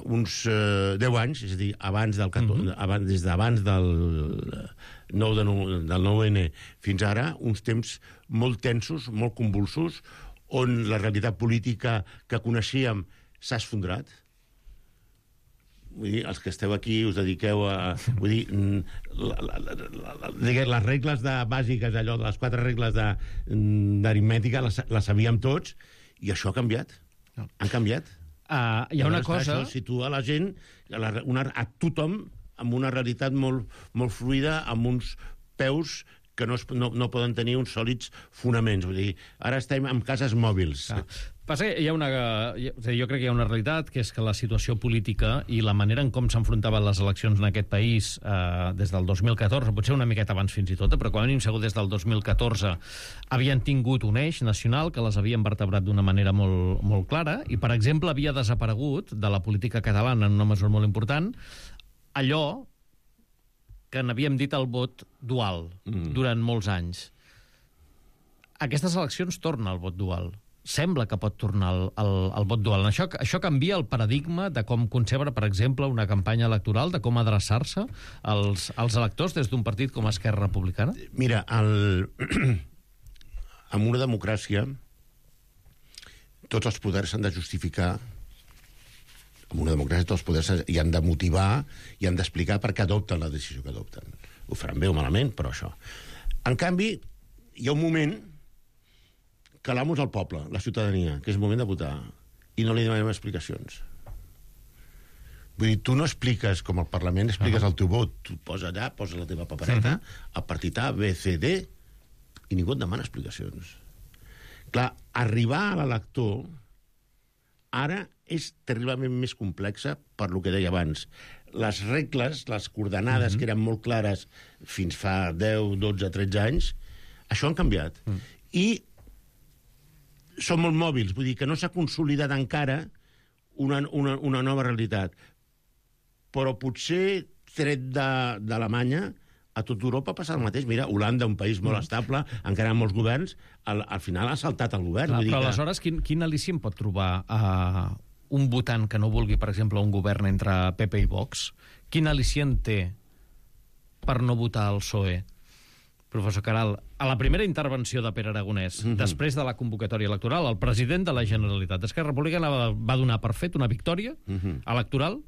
uns 10 anys, és a dir, des d'abans del 9-N fins ara, uns temps molt tensos, molt convulsos, on la realitat política que coneixíem s'ha esfondrat. Vull dir, els que esteu aquí us dediqueu a... Vull dir, les regles bàsiques, allò de les 4 regles d'aritmètica, les sabíem tots, i això ha canviat. Han canviat. Hi ha una cosa... Això situa la gent, a tothom, amb una realitat molt, molt fluida, amb uns peus que no poden tenir uns sòlids fonaments. Vull dir, ara estem en cases mòbils. Passa que jo crec que hi ha una realitat, que és que la situació política i la manera en com s'enfrontaven les eleccions en aquest país des del 2014, potser una miqueta abans fins i tot, però quan hem segur des del 2014 havien tingut un eix nacional que les havien vertebrat d'una manera molt, molt clara, i, per exemple, havia desaparegut de la política catalana en una mesura molt important allò que n'havíem dit el vot dual durant molts anys. Aquestes eleccions torna al vot dual. Sembla que pot tornar al vot dual. Això canvia el paradigma de com concebre, per exemple, una campanya electoral, de com adreçar-se als electors des d'un partit com Esquerra Republicana? Mira, en una democràcia tots els poders s'han de justificar. En una democràcia tots els poders hi han de motivar i han d'explicar per què adopten la decisió que adopten. Ho faran bé o malament, però això. En canvi, hi ha un moment que l'amo és el poble, la ciutadania, que és el moment de votar, i no li demanem explicacions. Vull dir, tu no expliques, com al Parlament, expliques el teu vot. Tu posa allà, posa la teva papereta, el partit A, B, C, D, i ningú et demana explicacions. Clar, arribar a l'elector ara és terriblement més complexa per lo que deia abans. Les regles, les coordenades que eren molt clares fins fa 10, 12, 13 anys, això han canviat. I són molt mòbils, vull dir que no s'ha consolidat encara una nova realitat. Però potser, tret d'Alemanya, a tota Europa passa el mateix. Mira, Holanda, un país molt estable, encara amb molts governs, al final ha saltat el govern. Clar, però aleshores, quin al·licient pot trobar un votant que no vulgui, per exemple, un govern entre PP i Vox? Quin al·licient té per no votar el PSOE? Professor Caral, a la primera intervenció de Pere Aragonès, després de la convocatòria electoral, el president de la Generalitat d'Esquerra Republicana va donar per fet una victòria electoral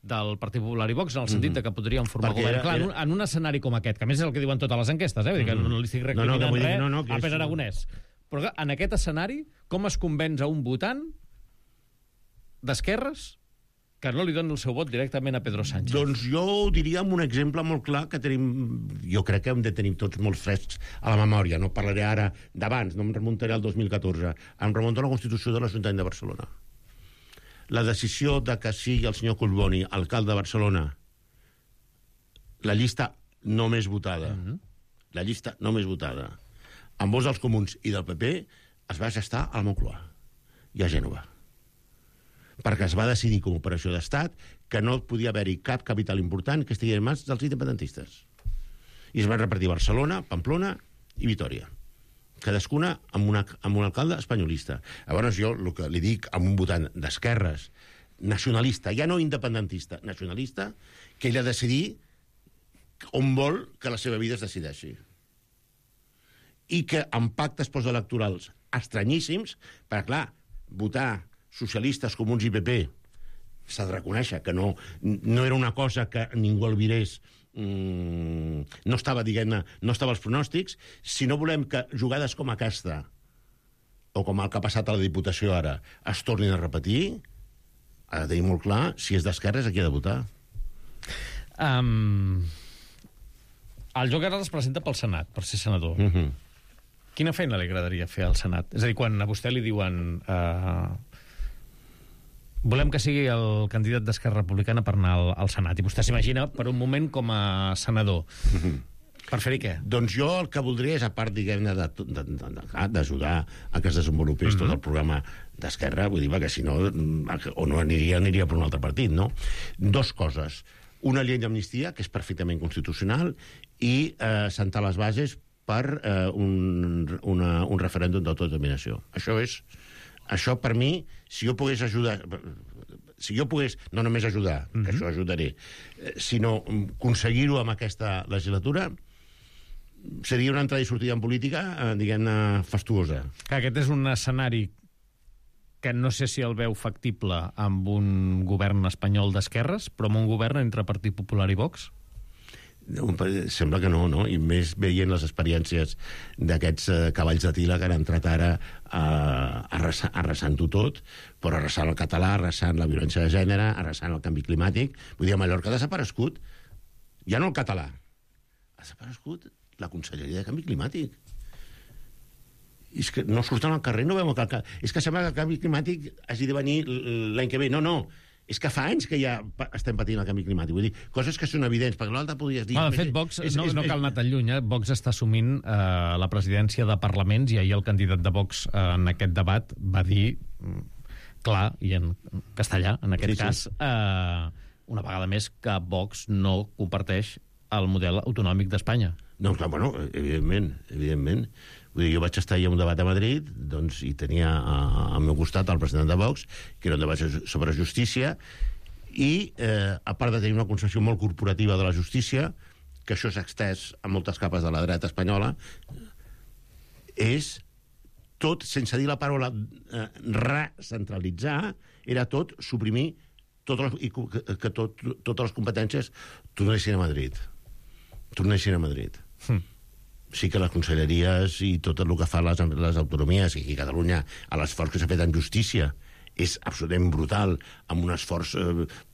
del Partit Popular i Vox, en el sentit que podrien formar govern. Clar, en un escenari com aquest, que a més és el que diuen totes les enquestes, vull dir que no li estic recriminant res a Pere Aragonès. Però en aquest escenari, com es convenç a un votant d'esquerres que no li doni el seu vot directament a Pedro Sánchez? Doncs jo ho diria amb un exemple molt clar que tenim, jo crec que hem de tenir tots molt frescs a la memòria. No parlaré ara d'abans, no em remuntaré al 2014. Em remunto a la Constitució de l'Ajuntament de Barcelona. La decisió de que sigui el senyor Collboni alcalde de Barcelona, la llista no més votada, la llista no més votada, amb vots dels comuns i del PP, es va gestar a la Moncloa i a Gènova, perquè es va decidir com a operació d'estat que no podia haver-hi cap capital important que estigui en mans dels independentistes. I es van repartir Barcelona, Pamplona i Vitòria, cadascuna amb un alcalde espanyolista. Llavors jo el que li dic a un votant d'esquerres, nacionalista, ja no independentista, nacionalista, que ell ha de decidir on vol que la seva vida es decideixi. I que amb pactes postelectorals estranyíssims, perquè clar, votar socialistes, comuns i PP s'ha de reconèixer que no era una cosa que ningú albirés, no estava, diguem-ne, no estava als pronòstics. Si no volem que jugades com aquesta o com el que ha passat a la Diputació ara es tornin a repetir, ha de tenir molt clar si és d'esquerres a qui ha de votar. El Joan Caral es presenta pel Senat, per ser senador. Quina feina li agradaria fer al Senat? És a dir, quan a vostè li diuen volem que sigui el candidat d'Esquerra Republicana per anar al Senat, i vostè s'imagina per un moment com a senador, per fer-hi què? Doncs jo el que voldria és, a part, diguem-ne, d'ajudar a que es desenvolupés tot el programa d'Esquerra, vull dir, perquè si no, o no aniria per un altre partit, no? Dos coses. Una llei d'amnistia, que és perfectament constitucional, i sentar les bases per un referèndum d'autodeterminació. Això per mi, si jo pogués ajudar... si jo pogués no només ajudar, que això ajudaré, sinó aconseguir-ho amb aquesta legislatura, seria una entrada i sortida en política, diguem-ne, fastuosa. Aquest és un escenari que no sé si el veu factible amb un govern espanyol d'esquerres, però amb un govern entre Partit Popular i Vox? Sembla que no, no? I més veient les experiències d'aquests cavalls de tila que han entrat ara arrasant-ho tot, però arrasant el català, arrasant la violència de gènere, arrasant el canvi climàtic. Vull dir, a Mallorca ha desaparegut ja no el català, ha desaparegut la Conselleria de Canvi Climàtic. I és que no surten al carrer, no veuen que... És que sembla que el canvi climàtic hagi de venir l'any que ve. No, no. És que fa anys que ja estem patint el canvi climàtic. Vull dir, coses que són evidents, perquè l'altre podries dir... De fet, Vox, no cal anar tan lluny, Vox està assumint la presidència de parlaments i ahir el candidat de Vox en aquest debat va dir, clar, i en castellà, en aquest cas, una vegada més, que Vox no comparteix el model autonòmic d'Espanya. No, clar, bueno, evidentment. Vull dir, jo vaig estar a un debat a Madrid, doncs, i tenia al meu costat el president de Vox, que era un debat sobre justícia, i a part de tenir una concepció molt corporativa de la justícia, que això s'ha extès a moltes capes de la dreta espanyola, és tot, sense dir la paraula recentralitzar, era tot suprimir i que totes les competències tornessin a Madrid. Sí que les conselleries i tot el que fa les autonomies, i aquí a Catalunya l'esforç que s'ha fet en justícia és absolutament brutal, amb un esforç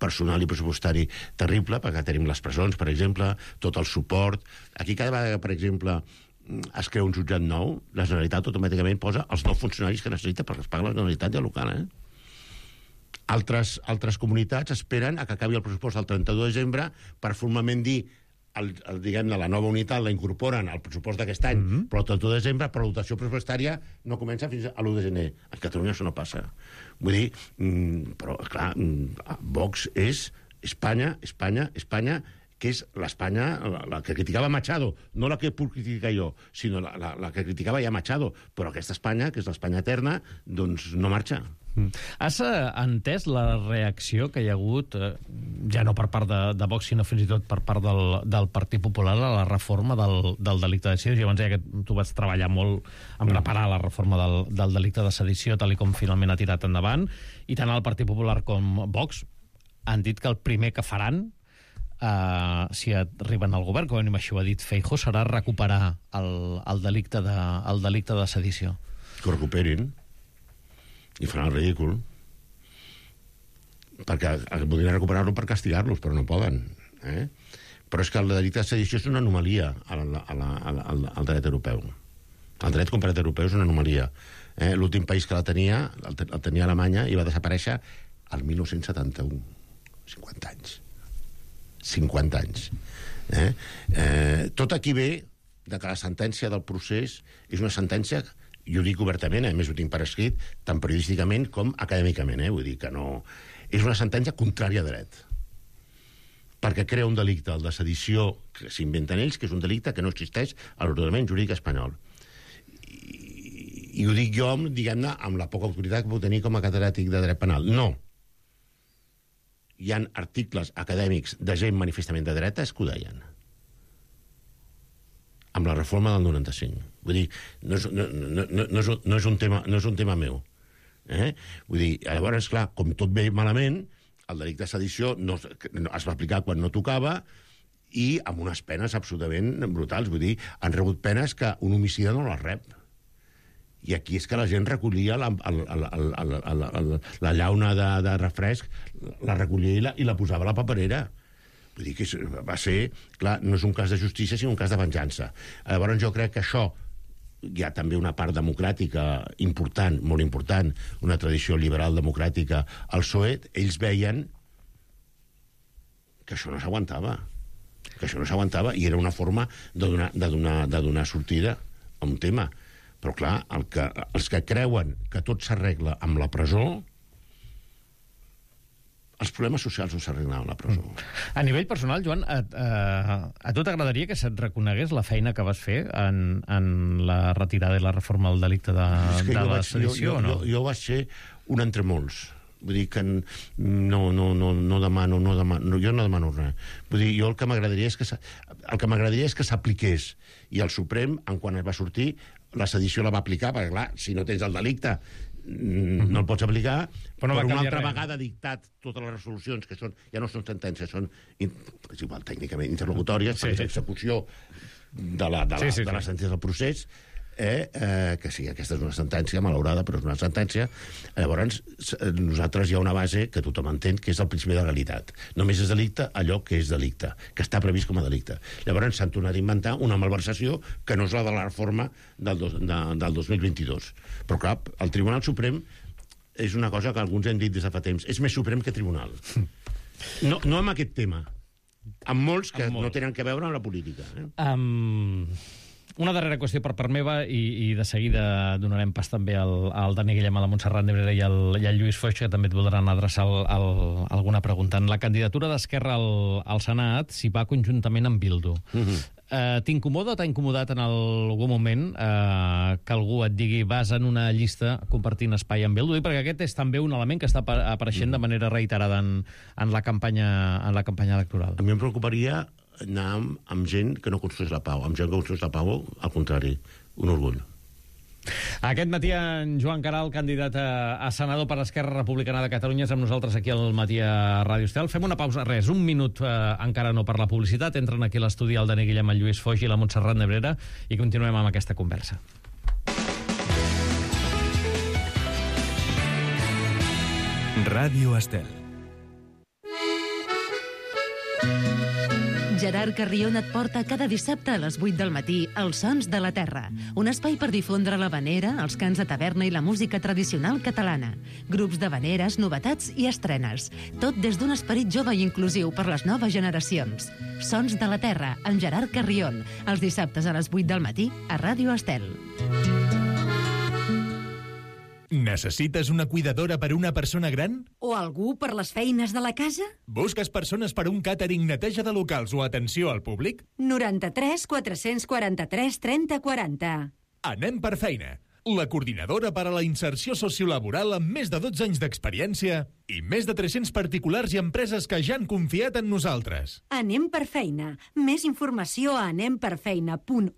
personal i pressupostari terrible, perquè tenim les presons, per exemple, tot el suport. Aquí cada vegada, per exemple, es crea un jutjat nou, la Generalitat automàticament posa els nous funcionaris que necessita perquè es paga la Generalitat ja local, Altres comunitats esperen a que acabi el pressupost el 31 de desembre per formalment dir diguem-ne, la nova unitat la incorporen al pressupost d'aquest any, però el 31 de desembre, però la dotació pressupostària no comença fins a l'1 de gener. A Catalunya això no passa. Vull dir, però, clar, Vox és Espanya, que és l'Espanya, la que criticava Machado, no la que puc criticar jo, sinó la que criticava ja Machado, però aquesta Espanya, que és l'Espanya eterna, doncs no marxa. Has entès la reacció que hi ha hagut, ja no per part de Vox, sinó fins i tot per part del Partit Popular a la reforma del delicte de sedició? Jo abans deia que tu vas treballar molt en preparar la reforma del delicte de sedició, tal com finalment ha tirat endavant, i tant el Partit Popular com Vox han dit que el primer que faran si arriben al govern, com a mínim això ho ha dit Feijóo, serà recuperar el delicte de sedició. Que ho recuperin i faran el ridícul, perquè podrien recuperar-lo per castigar-los, però no poden. Però és que el delicte de sedició és una anomalia al dret europeu. El dret comparat europeu és una anomalia. L'últim país que la tenia, el tenia Alemanya, i va desaparèixer el 1971. 50 anys. 50 anys. Tot aquí ve de que la sentència del procés és una sentència, jo ho dic obertament, a més ho tinc per escrit, tant periodísticament com acadèmicament, vull dir que no... És una sentència contrària a dret, perquè crea un delicte, el de sedició, que s'inventen ells, que és un delicte que no existeix a l'ordenament jurídic espanyol. I ho dic jo, diguem-ne, amb la poca autoritat que puc tenir com a catedràtic de dret penal. No. Hi ha articles acadèmics de gent manifestament de dretes que ho deien. Amb la reforma del 95. Vull dir, no és un tema meu. Vull dir, llavors, clar, com tot ve malament, el delicte de sedició es va aplicar quan no tocava i amb unes penes absolutament brutals. Vull dir, han rebut penes que un homicida no les rep. I aquí és que la gent recollia la llauna de refresc, la recollia i la posava a la paperera. Vull dir que va ser... Clar, no és un cas de justícia, sinó un cas de venjança. Llavors jo crec que això hi ha també una part democràtica important, molt important, una tradició liberal democràtica al PSOE. Ells veien que això no s'aguantava. I era una forma de donar sortida a un tema. Però, clar, els que creuen que tot s'arregla amb la presó, els problemes socials no s'arreglen amb la presó. A nivell personal, Joan, a tu t'agradaria que se't reconegués la feina que vas fer en la retirada i la reforma del delicte de la sedició o no? Jo vaig ser un entre molts. Vull dir que no demano, jo no demano res. Vull dir, jo el que m'agradaria és que s'apliqués. I el Suprem, quan es va sortir, la sedició la va aplicar, perquè clar, si no tens el delicte no el pots aplicar, però una altra vegada ha dictat totes les resolucions, que ja no són sentències, són, és igual, tècnicament interlocutòries, perquè és execució de la sentència del procés, que sí, aquesta és una sentència malaurada, però és una sentència. Llavors, nosaltres hi ha una base que tothom entén, que és el principi de legalitat. Només és delicte allò que és delicte, que està previst com a delicte. Llavors s'han tornat a inventar una malversació que no és la de la reforma del 2022. Però clar, el Tribunal Suprem és una cosa que alguns hem dit des de fa temps, és més suprem que tribunal. No amb aquest tema, amb molts que no tenen que veure amb la política. Una darrera qüestió per part meva i de seguida donarem pas també al Dani Guillem, a la Montserrat Nebrera i al Lluís Foix, que també et voldran adreçar alguna pregunta. En la candidatura d'Esquerra al Senat s'hi va conjuntament amb Bildu. T'incomoda o t'ha incomodat en algun moment que algú et digui vas en una llista compartint espai amb Bildu? Perquè aquest és també un element que està apareixent de manera reiterada en la campanya electoral. A mi em preocuparia anar amb gent que no construeix la pau. Amb gent que construeix la pau, al contrari, un orgull. Aquest matí en Joan Caral, candidat a senador per Esquerra Republicana de Catalunya, és amb nosaltres aquí al matí a Ràdio Estel. Fem una pausa, un minut encara no per la publicitat. Entren aquí a l'estudi el Dani Guillem, el Lluís Foix i la Montserrat Nebrera i continuem amb aquesta conversa. Ràdio Estel. Gerard Carrion et porta cada dissabte a les 8 del matí Els Sons de la Terra, un espai per difondre l'havanera, els cants de taverna i la música tradicional catalana. Grups d'havaneres, novetats i estrenes. Tot des d'un esperit jove i inclusiu per les noves generacions. Sons de la Terra, amb Gerard Carrion, els dissabtes a les 8 del matí a Ràdio Estel. Necessites una cuidadora per una persona gran? O algú per les feines de la casa? Busques persones per un càtering, neteja de locals o atenció al públic? 93 443 30 40. Anem per feina. La coordinadora per a la inserció sociolaboral amb més de 12 anys d'experiència i més de 300 particulars i empreses que ja han confiat en nosaltres. Anem per feina. Més informació a anemperfeina.org,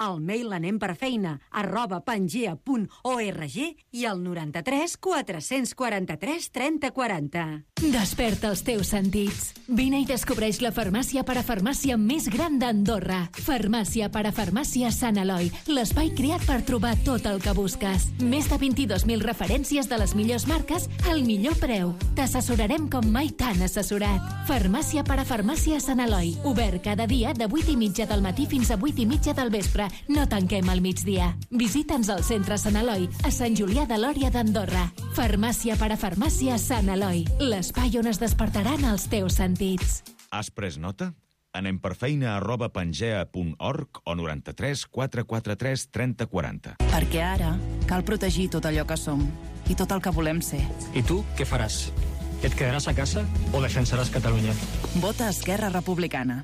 al mail anemperfeina@pangea.org i al 93 443 30 40. Desperta els teus sentits. Vine i descobreix la farmàcia parafarmàcia més gran d'Andorra. Farmàcia parafarmàcia Sant Eloi, l'espai creat per trobar tot el que busques. Més de 22.000 referències de les millors marques al millor preu. T'assessorarem com mai t'han assessorat. Farmàcia parafarmàcia Sant Eloi. Obert cada dia de 8:30 del matí fins a 8:30 del vespre. No tanquem al migdia. Visita'ns al centre Sant Eloi, a Sant Julià de Lòria d'Andorra. Farmàcia parafarmàcia Sant Eloi, l'espai on es despertaran els teus sentits. Has pres nota? anemperfeina@pangea.org o 93 443 30 40. Perquè ara cal protegir tot allò que som i tot el que volem ser. I tu què faràs? Et quedaràs a casa o defensaràs Catalunya? Vota Esquerra Republicana.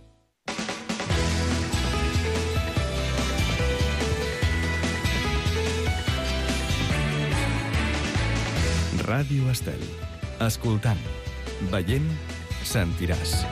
Ràdio Estel. Escoltant, veient, sentiràs.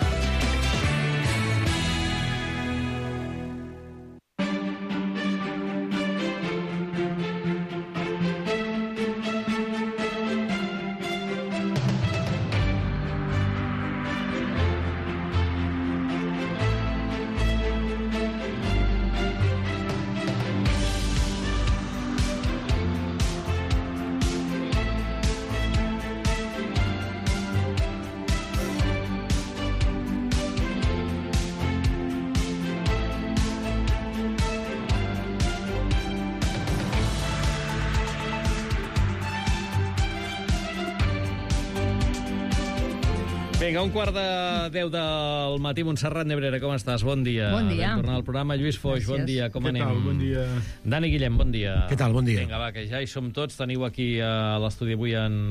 Vinga, 9:15 del matí. Montserrat Nebrera, com estàs? Bon dia. Bon dia. Tornar al programa. Lluís Foix, bon dia. Com anem? Què tal? Bon dia. Dani Guillem, bon dia. Què tal? Bon dia. Vinga, va, que ja hi som tots. Teniu aquí a l'estudi avui en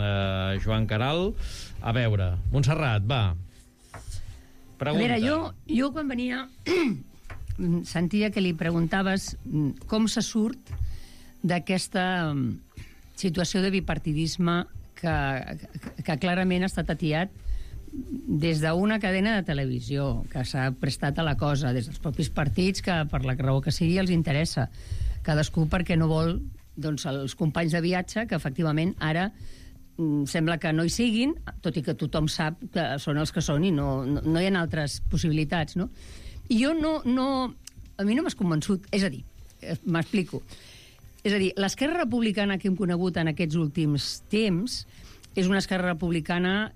Joan Caral. A veure, Montserrat, va. Pregunta. A veure, jo quan venia sentia que li preguntaves com se surt d'aquesta situació de bipartidisme que clarament ha estat atiat des d'una cadena de televisió que s'ha prestat a la cosa, des dels propis partits que per la raó que sigui els interessa, cadascú perquè no vol doncs, els companys de viatge que efectivament ara sembla que no hi siguin, tot i que tothom sap que són els que són i no hi ha altres possibilitats, no? I jo a mi no m'has convençut, és a dir, m'explico. És a dir, l'esquerra republicana que hem conegut en aquests últims temps és una esquerra republicana,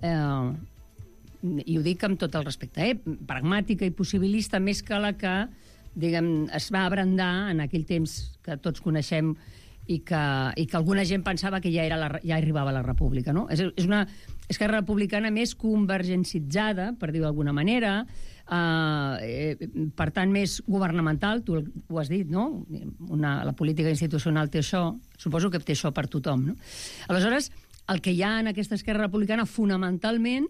i ho dic amb tot el respecte, pragmàtica i possibilista, més que la que, diguem, es va abrandar en aquell temps que tots coneixem i que alguna gent pensava que ja arribava a la república, no? És una esquerra republicana més convergencitzada, per dir-ho d'alguna manera, per tant més governamental, tu ho has dit, no? La política institucional té això, suposo que té això per tothom, no? Aleshores, el que hi ha en aquesta esquerra republicana fonamentalment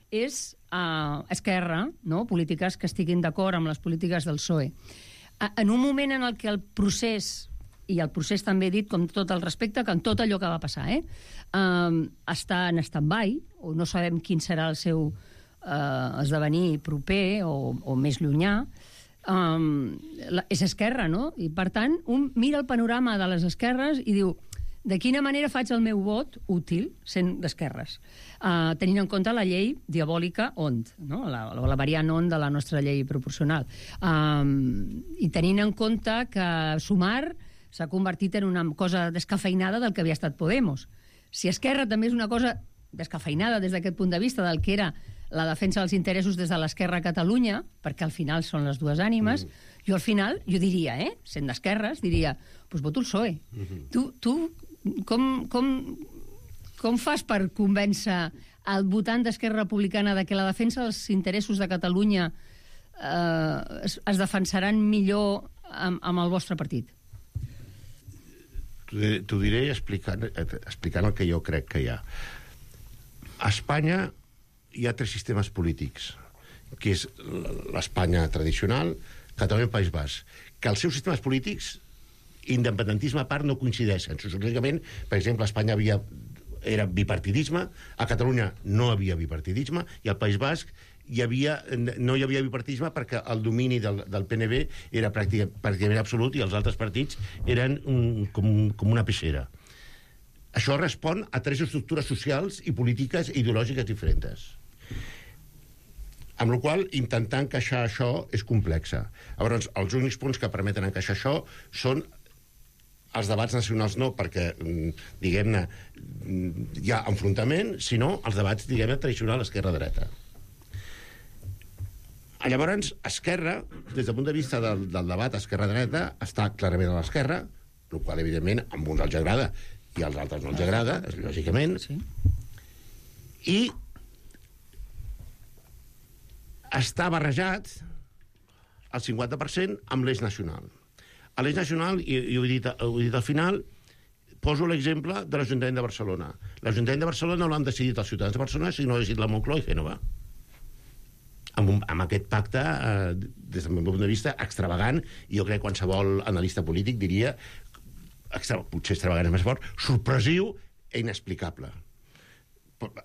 és esquerra, no? Polítiques que estiguin d'acord amb les polítiques del PSOE. En un moment en el que el procés, i el procés també he dit, com tot el respecte, que en tot allò que va passar, està en stand-by, o no sabem quin serà el seu esdevenir proper o més llunyà, és esquerra, no? I, per tant, un mira el panorama de les esquerres i diu, de quina manera faig el meu vot útil sent d'esquerres, tenint en compte la llei diabòlica OND, no? la variant OND de la nostra llei proporcional, i tenint en compte que Sumar s'ha convertit en una cosa descafeinada del que havia estat Podemos. Si Esquerra també és una cosa descafeinada des d'aquest punt de vista del que era la defensa dels interessos des de l'Esquerra a Catalunya, perquè al final són les dues ànimes, jo al final, jo diria, sent d'esquerres, diria, doncs voto el PSOE. Tu com fas per convèncer el votant d'Esquerra Republicana de que la defensa dels interessos de Catalunya es defensaran millor amb el vostre partit? T'ho diré explicant el que jo crec que hi ha. A Espanya hi ha 3 sistemes polítics, que és l'Espanya tradicional, Catalunya i el País Basc, que els seus sistemes polítics, independentisme a part, no coincideixen. Sociològicament, per exemple, a Espanya era bipartidisme, a Catalunya no havia bipartidisme, i al País Basc no hi havia bipartidisme perquè el domini del PNB era pràcticament absolut i els altres partits eren com una peixera. Això respon a 3 estructures socials i polítiques ideològiques diferents. Amb la qual cosa, intentar encaixar això és complexa. Llavors, els únics punts que permeten encaixar això són els debats nacionals no, perquè, diguem-ne, hi ha enfrontament, sinó els debats, diguem-ne, tradicional esquerra-dreta. Llavors, Esquerra, des del punt de vista del debat esquerra-dreta, està clarament a l'esquerra, el qual, evidentment, a uns els agrada i als altres no els agrada, lògicament, i està barrejat el 50% amb l'eix nacional. A l'eix nacional, i ho he dit al final, poso l'exemple de l'Ajuntament de Barcelona. L'Ajuntament de Barcelona no l'han decidit els ciutadans de Barcelona, sinó l'ha decidit la Moncloa i Génova. Amb aquest pacte, des del meu punt de vista, extravagant, i jo crec que qualsevol analista polític diria, potser extravagant és més fort, sorpresiu i inexplicable.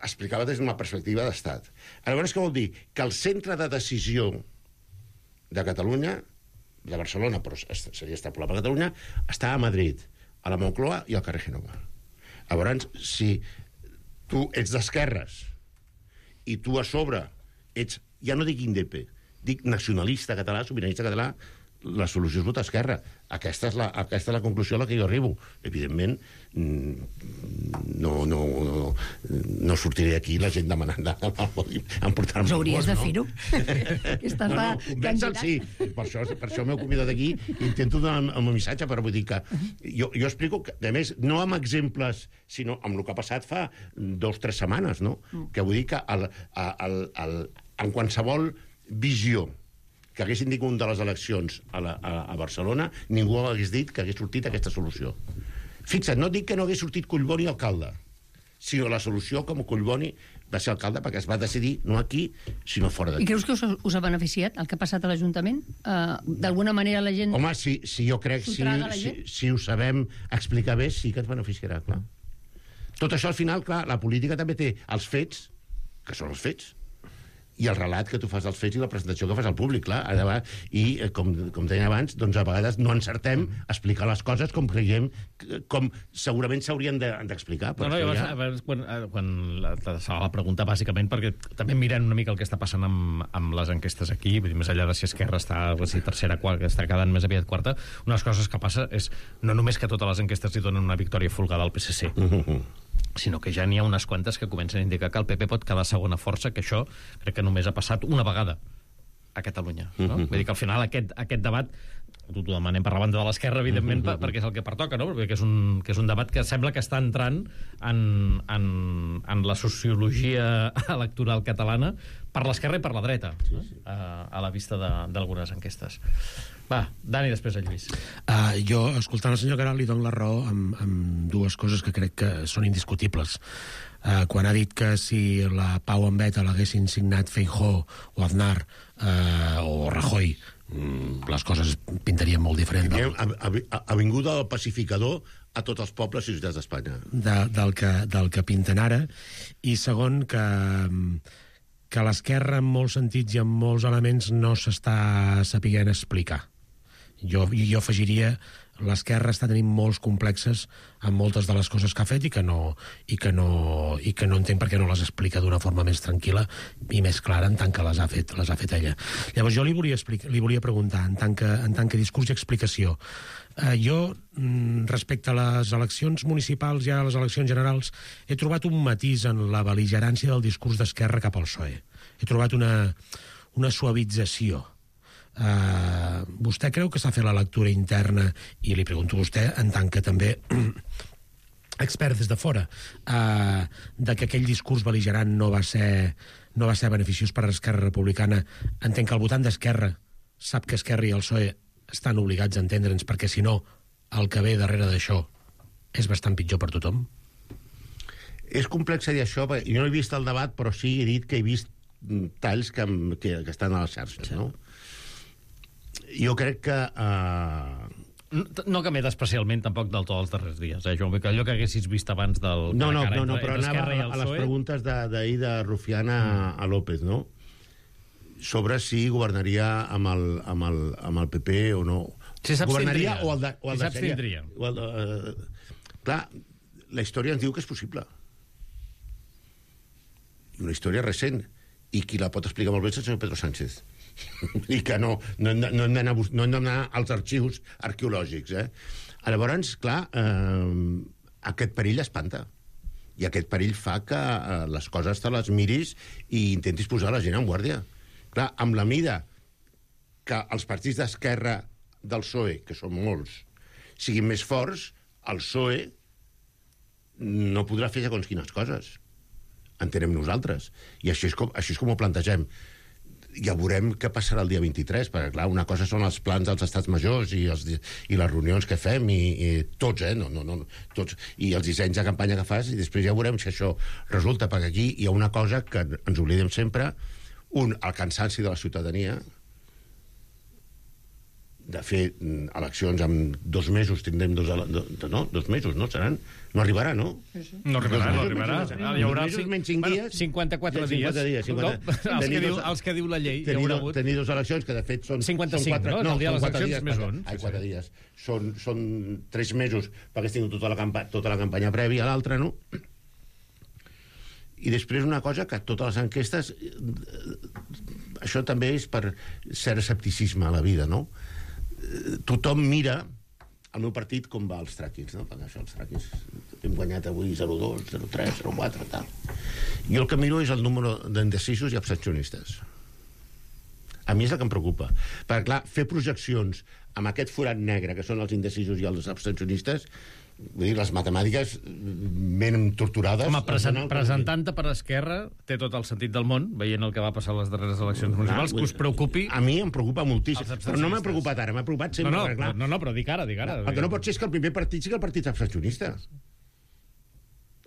Explicava des d'una perspectiva d'estat. Llavors, què vol dir? Que el centre de decisió de Catalunya, de Barcelona, però seria extrapolable a Catalunya, està a Madrid, a la Moncloa i al carrer Génova. Llavors, si tu ets d'esquerres i tu a sobre ets, ja no dic indepe, dic nacionalista català, sobiranista català, la solució és votar esquerra. Aquesta és la conclusió a la que jo arribo. Evidentment, no sortiré d'aquí la gent demanant emportar-me... Us hauries de fer-ho. Convèncer, sí. Per això m'heu convidat aquí i intento donar el meu missatge, però vull dir que jo explico, que, a més, no amb exemples, sinó amb el que ha passat fa 2 o 3 setmanes, no? Que vull dir que en qualsevol visió que haguessin dit un de les eleccions a Barcelona, ningú hagués dit que hagués sortit aquesta solució. Fixa't, no dic que no hagués sortit Collboni alcalde, sinó la solució com Collboni va ser alcalde perquè es va decidir no aquí, sinó fora d'aquí. I creus que us ha beneficiat el que ha passat a l'Ajuntament? D'alguna manera la gent... Home, si jo crec, si ho sabem explicar bé, sí que ens beneficiarà, clar. Tot això, al final, clar, la política també té els fets, que són els fets, i el relat que tu fas dels fets i la presentació que fas al públic, clar. I, com deia abans, doncs a vegades no encertem a explicar les coses com creiem, com segurament s'haurien d'explicar. Quan la pregunta, bàsicament, perquè també mirant una mica el que està passant amb les enquestes aquí, més enllà de si Esquerra està tercera, quarta, que està quedant més aviat quarta, una de les coses que passa és no només que totes les enquestes li donen una victòria folgada al PSC, sinó que ja n'hi ha unes quantes que comencen a indicar que el PP pot quedar segona força, que això crec que només ha passat una vegada a Catalunya. No? Vull dir que al final aquest debat, t'ho demanem per la banda de l'esquerra, evidentment, perquè és el que pertoca, no? Perquè és un debat que sembla que està entrant en la sociologia electoral catalana per l'esquerra i per la dreta, a la vista d'algunes enquestes. Va, Dani, després el Lluís. Jo, escoltant el senyor Queralt, li dono la raó amb dues coses que crec que són indiscutibles. Quan ha dit que si la pau en beta l'haguessin signat Feijóo o Aznar o Rajoy, les coses pintarien molt diferent. Ha vingut el pacificador a tots els pobles i ciutats d'Espanya. Del que pinten ara. I segon, que l'esquerra en molts sentits i en molts elements no s'està sapiguent explicar. Jo afegiria l'esquerra està tenint molts complexes amb moltes de les coses que ha fet i que no entenc per què no les explica d'una forma més tranquil·la i més clara en tant que les ha fet ella. Llavors jo li volia preguntar en tant que discurs i explicació, jo respecte a les eleccions municipals i a les eleccions generals he trobat un matís en la bel·ligerància del discurs d'Esquerra cap al PSOE. He trobat una suavització. Vostè creu que s'ha fet la lectura interna, i li pregunto a vostè en tant que també expert des de fora, de que aquell discurs bel·ligerant no va ser beneficiós per a Esquerra Republicana? Entenc que el votant d'Esquerra sap que Esquerra i el PSOE estan obligats a entendre'ns, perquè si no el que ve darrere d'això és bastant pitjor per tothom. És complex dir això, perquè jo no he vist el debat, però sí he dit que he vist talls que estan a les xarxes, no? Jo crec que... No canviat especialment tampoc del tot els darrers dies, Joan, que allò que haguessis vist abans del... No, però anava a les preguntes d'ahir de Rufián a López, no? Sobre si governaria amb el PP o no. Si governaria o el s'abstindria. Clar, la història ens diu que és possible. I una història recent. I qui la pot explicar molt bé és el senyor Pedro Sánchez. I que no hem d'anar als arxius arqueològics. Llavors, clar, aquest perill espanta. I aquest perill fa que les coses te les miris i intentis posar la gent en guàrdia. Clar, amb la mida que els partits d'esquerra del PSOE, que són molts, siguin més forts, el PSOE no podrà fer segons quines coses. Entenem nosaltres. I així és com ho plantegem. Ja veurem què passarà el dia 23, perquè, clar, una cosa són els plans dels estats majors i les reunions que fem, i tots, tots, i els dissenys de campanya que fas, i després ja veurem si això resulta, perquè aquí hi ha una cosa que ens oblidem sempre, el cansanci de la ciutadania de fer eleccions en 2 mesos, tindrem 2 mesos, no? Seran? No arribarà, no? No arribarà. Hi haurà 54 dies. Els que diu la llei. Tenir 2 eleccions, que de fet són 55, no? El dia de les eleccions més 11. 4 dies. Són 3 mesos, perquè has tingut tota la campanya prèvia a l'altra, no? I després una cosa que totes les enquestes... Això també és per cert escepticisme a la vida, no? Tothom mira el meu partit com va als traquis, no? Perquè això, els traquis hem guanyat avui 0-2, 0-3, 0-4, tal. Jo el que miro és el número d'indecisos i abstencionistes. A mi és el que em preocupa. Perquè, clar, fer projeccions amb aquest forat negre, que són els indecisos i els abstencionistes, vull dir, les matemàtiques ben torturades... Home, presentant-te per Esquerra té tot el sentit del món, veient el que va passar a les darreres eleccions municipals, que us preocupi... A mi em preocupa moltíssim, però no m'ha preocupat ara, m'ha preocupat sempre. No, però dic ara. El que no pot ser és que el primer partit sigui el partit abstencionista.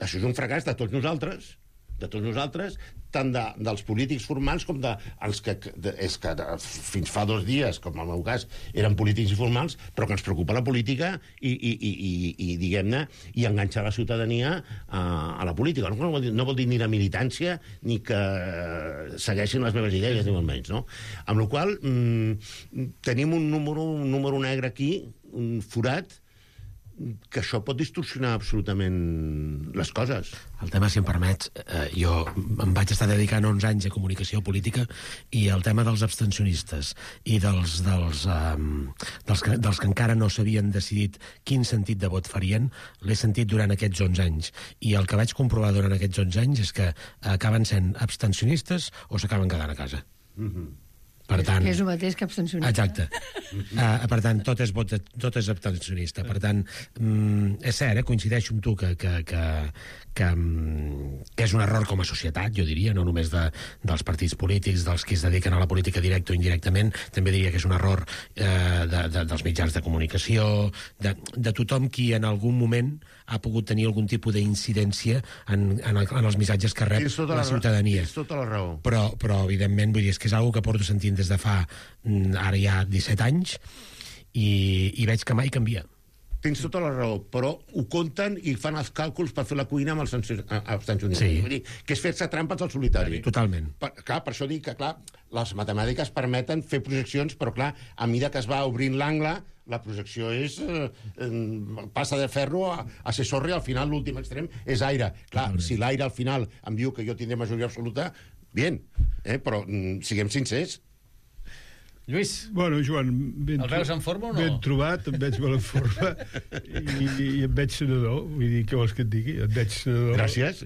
Això és un fracàs de tots nosaltres, de tots nosaltres, tant dels polítics formals com dels que fins fa 2 dies, com en el meu cas, eren polítics informals, però que ens preocupa la política i diguem-ne, i enganxar la ciutadania a la política. No vol dir ni la militància ni que segueixin les meves idees, ni molt menys, no? Amb la qual cosa tenim un número negre aquí, un forat, que això pot distorsionar absolutament les coses. El tema, si em permets, jo em vaig estar dedicant 11 anys a comunicació política i el tema dels abstencionistes i dels que encara no s'havien decidit quin sentit de vot farien, l'he sentit durant aquests 11 anys. I el que vaig comprovar durant aquests 11 anys és que acaben sent abstencionistes o s'acaben quedant a casa. Per tant, que és el mateix que abstencionista. Exacte. Per tant, tot és abstencionista. Per tant, és cert, coincideixo amb tu que és un error com a societat, jo diria, no només dels partits polítics, dels que es dediquen a la política directa o indirectament, també diria que és un error dels mitjans de comunicació, de tothom qui en algun moment ha pogut tenir algun tipus d'incidència en els missatges que rep la ciutadania. Tens tota la raó. Però evidentment, vull dir, és que és una cosa que porto sentint des de fa ara ja 17 anys i veig que mai canvia. Tens tota la raó, però ho compten i fan els càlculs per fer la cuina amb els abstencionistes. Sí. Vull dir, que és fer-se trampes al solitari. Totalment. Per això dic que, clar, les matemàtiques permeten fer projeccions, però, clar, a mesura que es va obrint l'angle, la projecció és passa de ferro a ser sorra i al final l'últim extrem és aire. Clar, si l'aire al final em diu que jo tindré majoria absoluta, bien, però siguem sincers. Lluís, bueno, Joan, el veus en forma o no? Ben trobat, em veig molt en forma i em veig senador, vull dir, què vols que et digui? Em veig senador gràcies.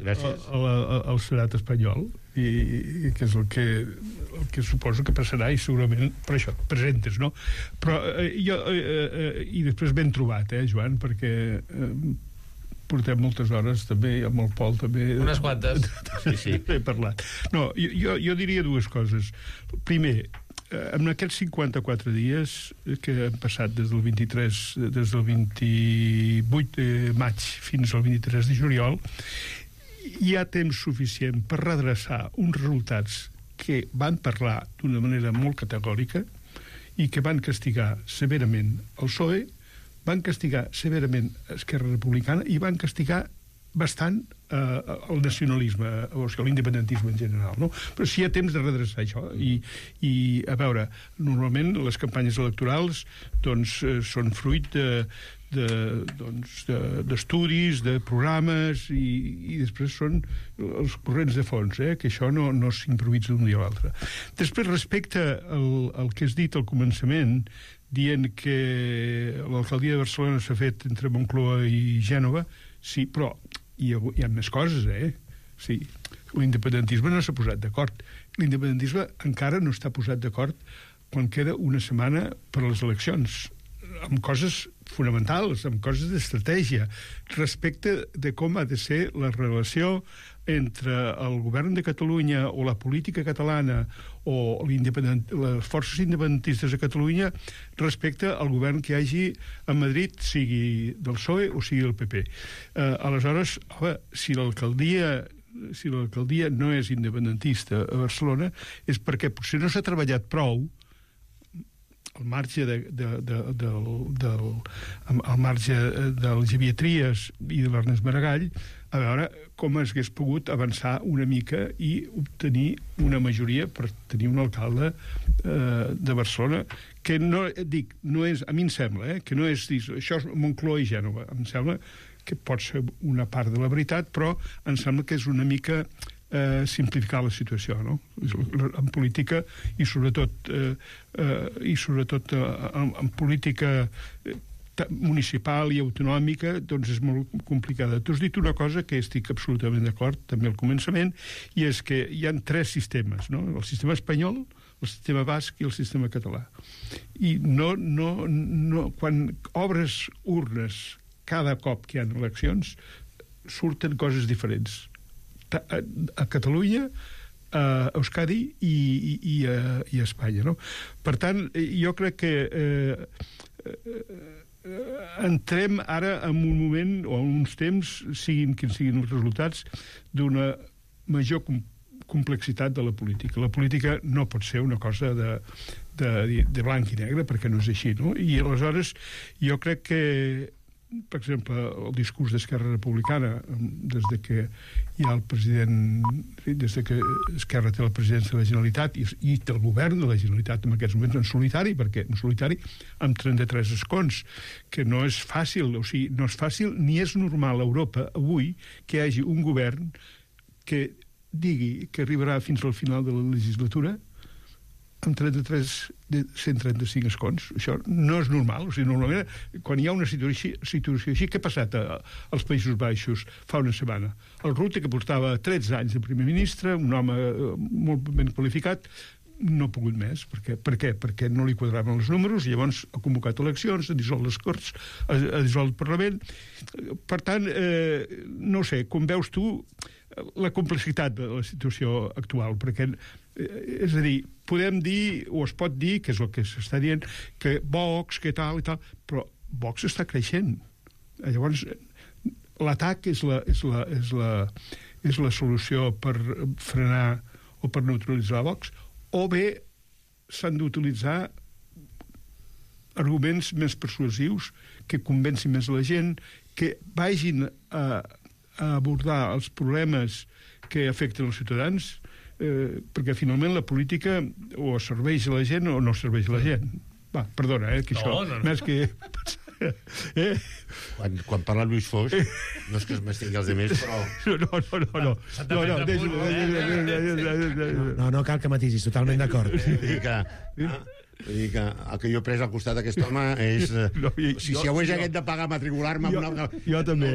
Al Senat espanyol i que és el que suposo que passarà i segurament per això et presentes, no? Però i després ben trobat, Joan, perquè portem moltes hores també, amb el Pol també... Unes quantes. Sí. He parlat. No, jo diria 2 coses. Primer, en aquests 54 dies que han passat des del 28 de maig fins al 23 de juliol, hi ha temps suficient per redreçar uns resultats que van parlar d'una manera molt categòrica i que van castigar severament el PSOE, van castigar severament Esquerra Republicana i van castigar bastant el nacionalisme, o sigui, l'independentisme en general, no? Però sí hi ha temps de redreçar això i a veure, normalment les campanyes electorals doncs són fruit d'estudis, de programes i després són els corrents de fons, que això no s'improvisa d'un dia a l'altre. Després, respecte al que has dit al començament, dient que l'alcaldia de Barcelona s'ha fet entre Moncloa i Gènova, sí, però hi ha més coses, Sí, l'independentisme no s'ha posat d'acord. L'independentisme encara no està posat d'acord quan queda una setmana per a les eleccions, amb coses fonamentals, amb coses d'estratègia, respecte de com ha de ser la relació entre el govern de Catalunya o la política catalana o les forces independentistes a Catalunya respecte al govern que hi hagi a Madrid, sigui del PSOE o sigui del PP. Aleshores, si l'alcaldia no és independentista a Barcelona és perquè potser no s'ha treballat prou al marge del Xavier Trias i de l'Ernest Maragall, a veure com es hagués pogut avançar una mica i obtenir una majoria per tenir un alcalde de Barcelona que no és, a mi em sembla, que no és dir, això és Moncloa i Gènova, em sembla que pot ser una part de la veritat, però em sembla que és una mica simplificar la situació, no? En política i sobretot en política municipal i autonòmica, doncs és molt complicada. Tu has dit una cosa que estic absolutament d'acord, també al començament, i és que hi ha 3 sistemes, no? El sistema espanyol, el sistema basc i el sistema català. I quan obres urnes cada cop que hi ha eleccions, surten coses diferents. A Catalunya, a Euskadi i a Espanya, no? Per tant, jo crec que entrem ara en un moment o en uns temps, siguin quins siguin els resultats, d'una major complexitat de la política. La política no pot ser una cosa de blanc i negre, perquè no és així, no? I aleshores jo crec que, per exemple, el discurs d'Esquerra Republicana, des de que hi ha el president, des de que Esquerra té la presidència de la Generalitat i té el govern de la Generalitat en aquests moments en solitari, perquè en solitari amb 33 escons, que no és fàcil, o sigui, no és fàcil ni és normal a Europa avui que hi hagi un govern que digui que arribarà fins al final de la legislatura amb 135 escons. Això no és normal. O sigui, normalment, quan hi ha una situació així, què ha passat als Països Baixos fa una setmana? El Rutte, que portava 13 anys de primer ministre, un home molt ben qualificat, no ha pogut més. Per què? Perquè no li quadraven els números, i llavors ha convocat eleccions, ha dissolt les Corts, ha dissolt el Parlament. Per tant, no sé, com veus tu la complexitat de la situació actual, perquè, és a dir, podem dir, o es pot dir, que és el que s'està dient, que Vox, que tal i tal, però Vox està creixent. Llavors, l'atac és la solució per frenar o per neutralitzar Vox, o bé s'han d'utilitzar arguments més persuasius que convencin més la gent, que vagin a abordar els problemes que afecten els ciutadans, perquè finalment la política o serveix a la gent o no serveix a la gent. Va, perdona, que això... No. Més que... Quan parla Lluís Foix, no és que es m'estigui els altres, però... No cal que matisis, totalment d'acord. Vull dir que el que jo he pres al costat d'aquest home és... Si avui hagués de pagar matricular-me... Jo també,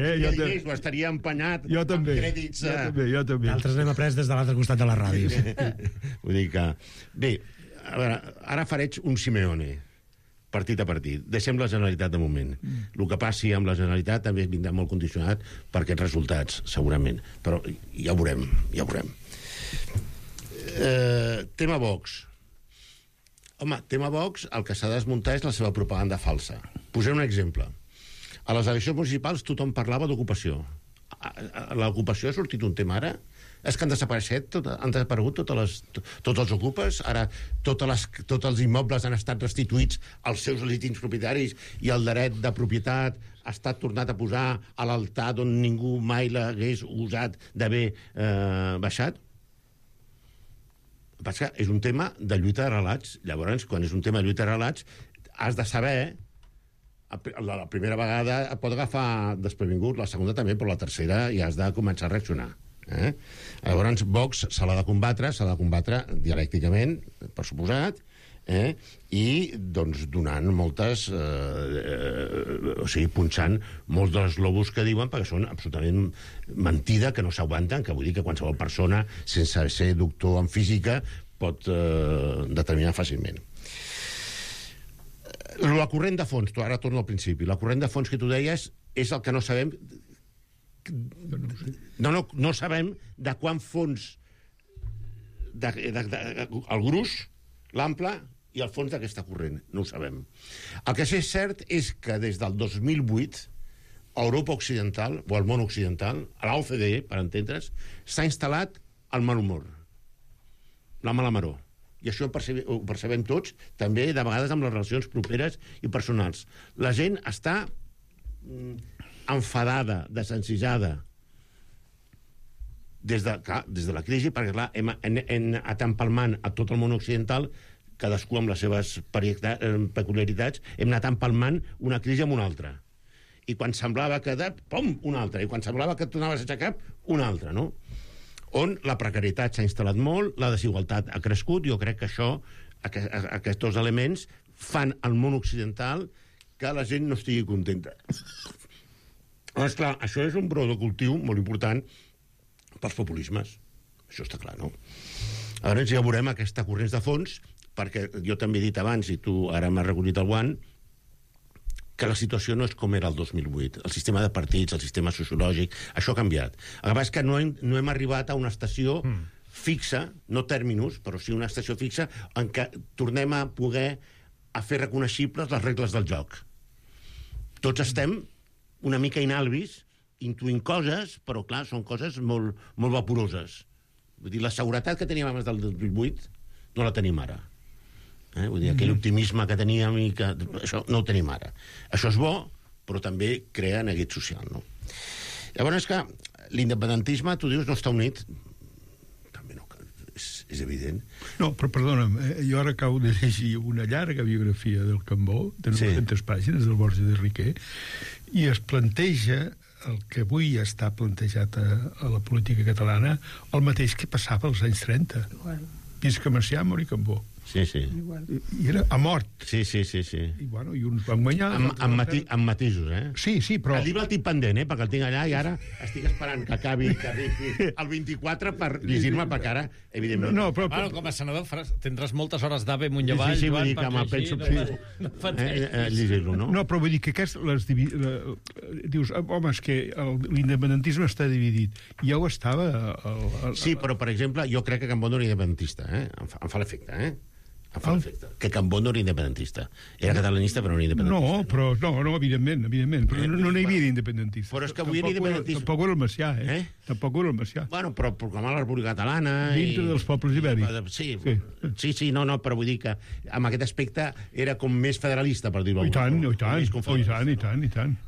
ho estaria empenyat amb crèdits... Jo també. D'altres n'hem après des de l'altre costat de la ràdio. Vull dir que... Bé, a veure, ara faré un Simeone, partit a partit. Deixem la Generalitat de moment. El que passi amb la Generalitat també vindrà molt condicionat per aquests resultats, segurament. Però ja ho veurem. Tema Vox. Home, tema Vox, el que s'ha de desmuntar és la seva propaganda falsa. Posaré un exemple. A les eleccions municipals tothom parlava d'ocupació. L'ocupació ha sortit un tema ara? És que han desaparegut tots els ocupes? Ara tots els immobles han estat restituïts als seus legítims propietaris i el dret de propietat ha estat tornat a posar a l'altar d'on ningú mai l'hagués usat d'haver baixat? Perquè és un tema de lluita de relats. Llavors, quan és un tema de lluita de relats, has de saber... La primera vegada et pot agafar desprevingut, la segona també, però la tercera ja has de començar a reaccionar. Llavors, Vox s'ha de combatre dialècticament, per suposat, i doncs donant moltes o sigui, punxant molts dels globus que diuen, perquè són absolutament mentida, que no s'aguanten, que vull dir que qualsevol persona sense ser doctor en física pot determinar fàcilment. La corrent de fons, ara torno al principi, la corrent de fons que tu deies és el que no sabem. No sabem de quant fons el gruix, l'ample i el fons d'aquesta corrent, no ho sabem. El que sí és cert és que des del 2008 a Europa Occidental, o al món occidental, a l'OCDE, per entendre's, s'ha instal·lat el mal humor, la mala maror. I això ho percebem tots, també de vegades amb les relacions properes i personals. La gent està enfadada, desencisada, des de la crisi, perquè clar, hem anat empalmant a tot el món occidental, cadascú amb les seves peculiaritats, hem anat empalmant una crisi amb una altra. I quan semblava que... pum, una altra. I quan semblava que tornaves a aixecar, una altra, no? On la precarietat s'ha instal·lat molt, la desigualtat ha crescut. Jo crec que això, aquests dos elements, fan al món occidental que la gent no estigui contenta. Doncs clar, això és un brou de cultiu molt important pels populismes. Això està clar, no? Llavors ja veurem aquesta corrents de fons, perquè jo també he dit abans, i tu ara m'has recollit el guant, que la situació no és com era el 2008. El sistema de partits, el sistema sociològic, això ha canviat. El que passa és que no hem arribat a una estació fixa, no terminus, però sí una estació fixa, en què tornem a poder fer reconeixibles les regles del joc. Tots estem una mica inalvis, intuint coses, però clar, són coses molt vaporoses. Vull dir, la seguretat que teníem abans del 2008 no la tenim ara. Vull dir, aquell optimisme que teníem i que... Això no ho tenim ara. Això és bo, però també crea neguit social, no? Llavors és que l'independentisme, tu dius, no està unit. També no, és evident. No, però perdona'm, jo ara acabo de llegir una llarga biografia del Cambó, de 900 pàgines, del Borges de Riquer, i es planteja el que avui està plantejat a la política catalana, el mateix que passava als anys 30. Visca Macià, mori Cambó. Sí. I era a mort. Sí. I, bueno, i uns van guanyar... Amb matisos, Sí, però... El llibre el tinc pendent, perquè el tinc allà i ara estic esperant que acabi, que arribi el 24 per llegir-me, perquè ara, evidentment... No, però... Bueno, com a senador tindràs moltes hores d'ave amunt i avall, sí, Joan, dir que per llegir... llegir-lo, no? No, però vull dir que dius, home, és que l'independentisme està dividit. Ja ho estava... Sí, però, per exemple, jo crec que Cambó no era independentista, Em fa l'efecte, que Cambó no era independentista. Era catalanista, però no era independentista. No, evidentment. Però no n'hi havia d'independentista. Però és que avui era independentista. Tampoc era el Macià, Tampoc era el Macià. Bueno, però proclamar la República Catalana... Dintre dels pobles ibèrics. Sí, no, però vull dir que amb aquest aspecte era com més federalista, per dir-ho. I tant.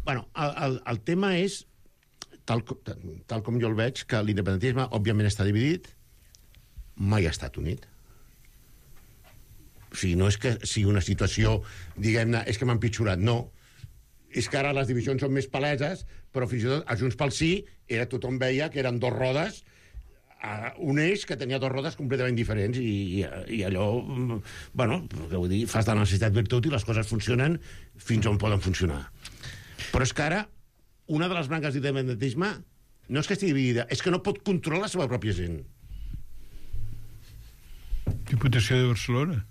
Bueno, el tema és, tal com jo el veig, que l'independentisme, òbviament, està dividit, mai ha estat unit. O sigui, no és que sigui una situació, diguem-ne, és que m'ha empitjorat, no. És que ara les divisions són més paleses, però fins i tot a Junts pel Sí tothom veia que eren dos rodes, un eix que tenia dos rodes completament diferents i allò, bueno, vull dir, fas de la necessitat virtut i les coses funcionen fins on poden funcionar. Però és que ara, una de les branques d'independentisme no és que estigui dividida, és que no pot controlar la seva pròpia gent. Diputació de Barcelona.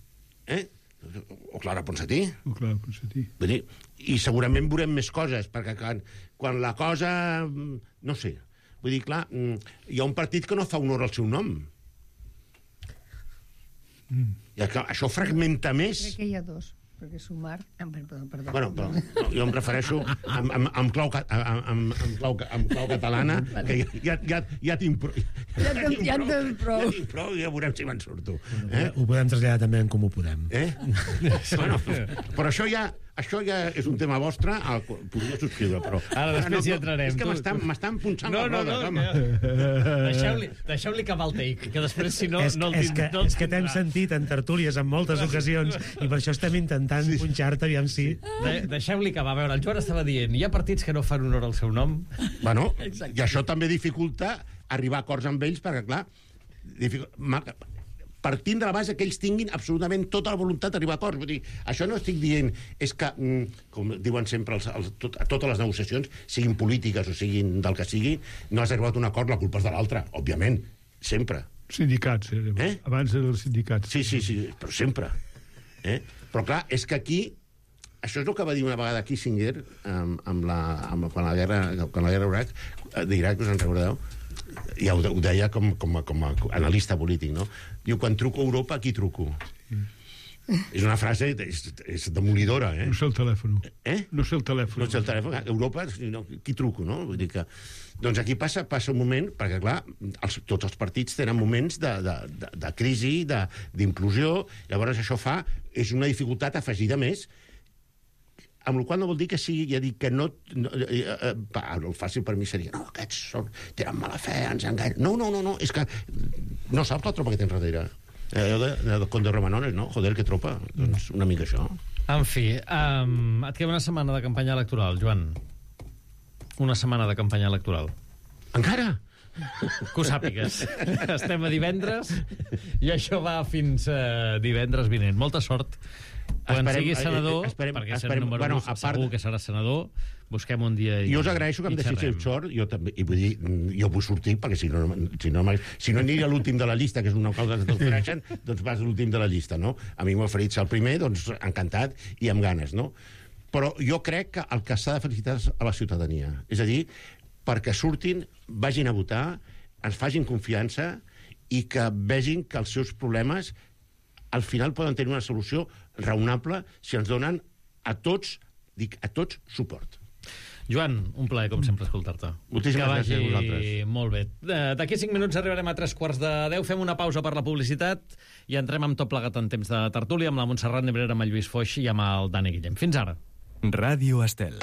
O Clara Ponsatí. Vull dir, i segurament veurem més coses, perquè quan la cosa... No sé. Vull dir, clar, hi ha un partit que no fa honor al seu nom. I això fragmenta més. Crec que hi ha dos. Perquè Sumar... Perdó. Bueno, però jo em refereixo amb clau catalana, que ja tinc prou. Ja tinc prou i ja veurem si me'n surto. Ho podem traslladar també en Com ho podem. Bueno, però això ja és un tema vostre, podria subscriure, però... Ara després hi entrarem. És que m'estan punxant les rodes, home. Deixeu-li acabar el take, que després, si no... És que t'hem sentit en tertúlies en moltes ocasions i per això estem intentant punxar-te, aviam si... Deixeu-li acabar. A veure, el Joan estava dient, hi ha partits que no fan honor al seu nom? Bueno, i això també dificulta arribar a acords amb ells, perquè, clar, partint de la base que ells tinguin absolutament tota la voluntat d'arribar a acords. Vull dir, això no estic dient, és que, com diuen sempre totes les negociacions, siguin polítiques o siguin del que sigui, no has arribat a un acord, la culpa és de l'altre, òbviament, sempre. Sindicats, abans dels sindicats. Sí, però sempre. Però clar, és que aquí, això és el que va dir una vegada Kissinger quan la guerra d'Iraq, us en recordeu? Ja ho deia com a analista polític, no? Diu, quan truco a Europa, a qui truco? És una frase és demolidora, No sé el telèfon. No sé el telèfon. Europa, qui truco, no? Vull dir que... Doncs aquí passa un moment, perquè, clar, tots els partits tenen moments de crisi, d'implosió, llavors això és una dificultat afegida més, amb la qual no vol dir que sigui, ja dic que no... El fàcil per mi seria, no, aquests tenen mala fe, ens enganyen... No, és que no saps la tropa que tens darrere. Allò de Conde Romanones, no? Joder, que tropa. Doncs una mica això. En fi, et queda una setmana de campanya electoral, Joan. Una setmana de campanya electoral. Encara? Que ho sàpigues. Estem a divendres i això va fins divendres vinent. Molta sort. Quan siguis senador, perquè ser número 1 segur que serà senador, busquem un dia i... Jo us agraeixo que em deixéssiu sort, jo també, i vull dir, jo vull sortir, perquè si no aniria l'últim de la llista, que és una cosa que tots coneixen, doncs vas l'últim de la llista, no? A mi m'ha oferit ser el primer, doncs encantat i amb ganes, no? Però jo crec que el que s'ha de felicitar és a la ciutadania. És a dir, perquè surtin, vagin a votar, ens facin confiança i que vegin que els seus problemes al final poden tenir una solució raonable si ens donen a tots suport. Joan, un plaer, com sempre, escoltar-te. Moltíssimes gràcies a vosaltres. Molt bé. D'aquí 5 minuts arribarem a 3:45. Fem una pausa per la publicitat i entrem amb tot plegat en temps de tertúlia amb la Montserrat Nebrera, amb el Lluís Foix i amb el Dani Guillem. Fins ara. Ràdio Estel.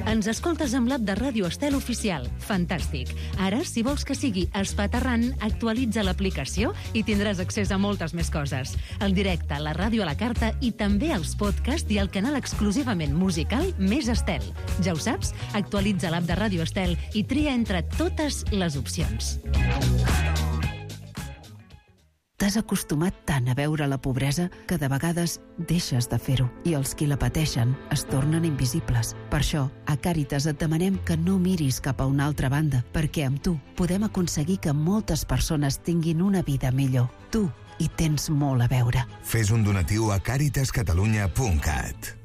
Ens escoltes amb l'app de Ràdio Estel Oficial. Fantàstic. Ara, si vols que sigui espaterrant, actualitza l'aplicació i tindràs accés a moltes més coses. El directe, la ràdio a la carta i també els podcasts i el canal exclusivament musical Més Estel. Ja ho saps? Actualitza l'app de Ràdio Estel i tria entre totes les opcions. T'has acostumat tant a veure la pobresa que de vegades deixes de fer-ho i els qui la pateixen es tornen invisibles. Per això, a Càritas et demanem que no miris cap a una altra banda, perquè amb tu podem aconseguir que moltes persones tinguin una vida millor. Tu hi tens molt a veure. Fes un donatiu a caritascatalunya.cat.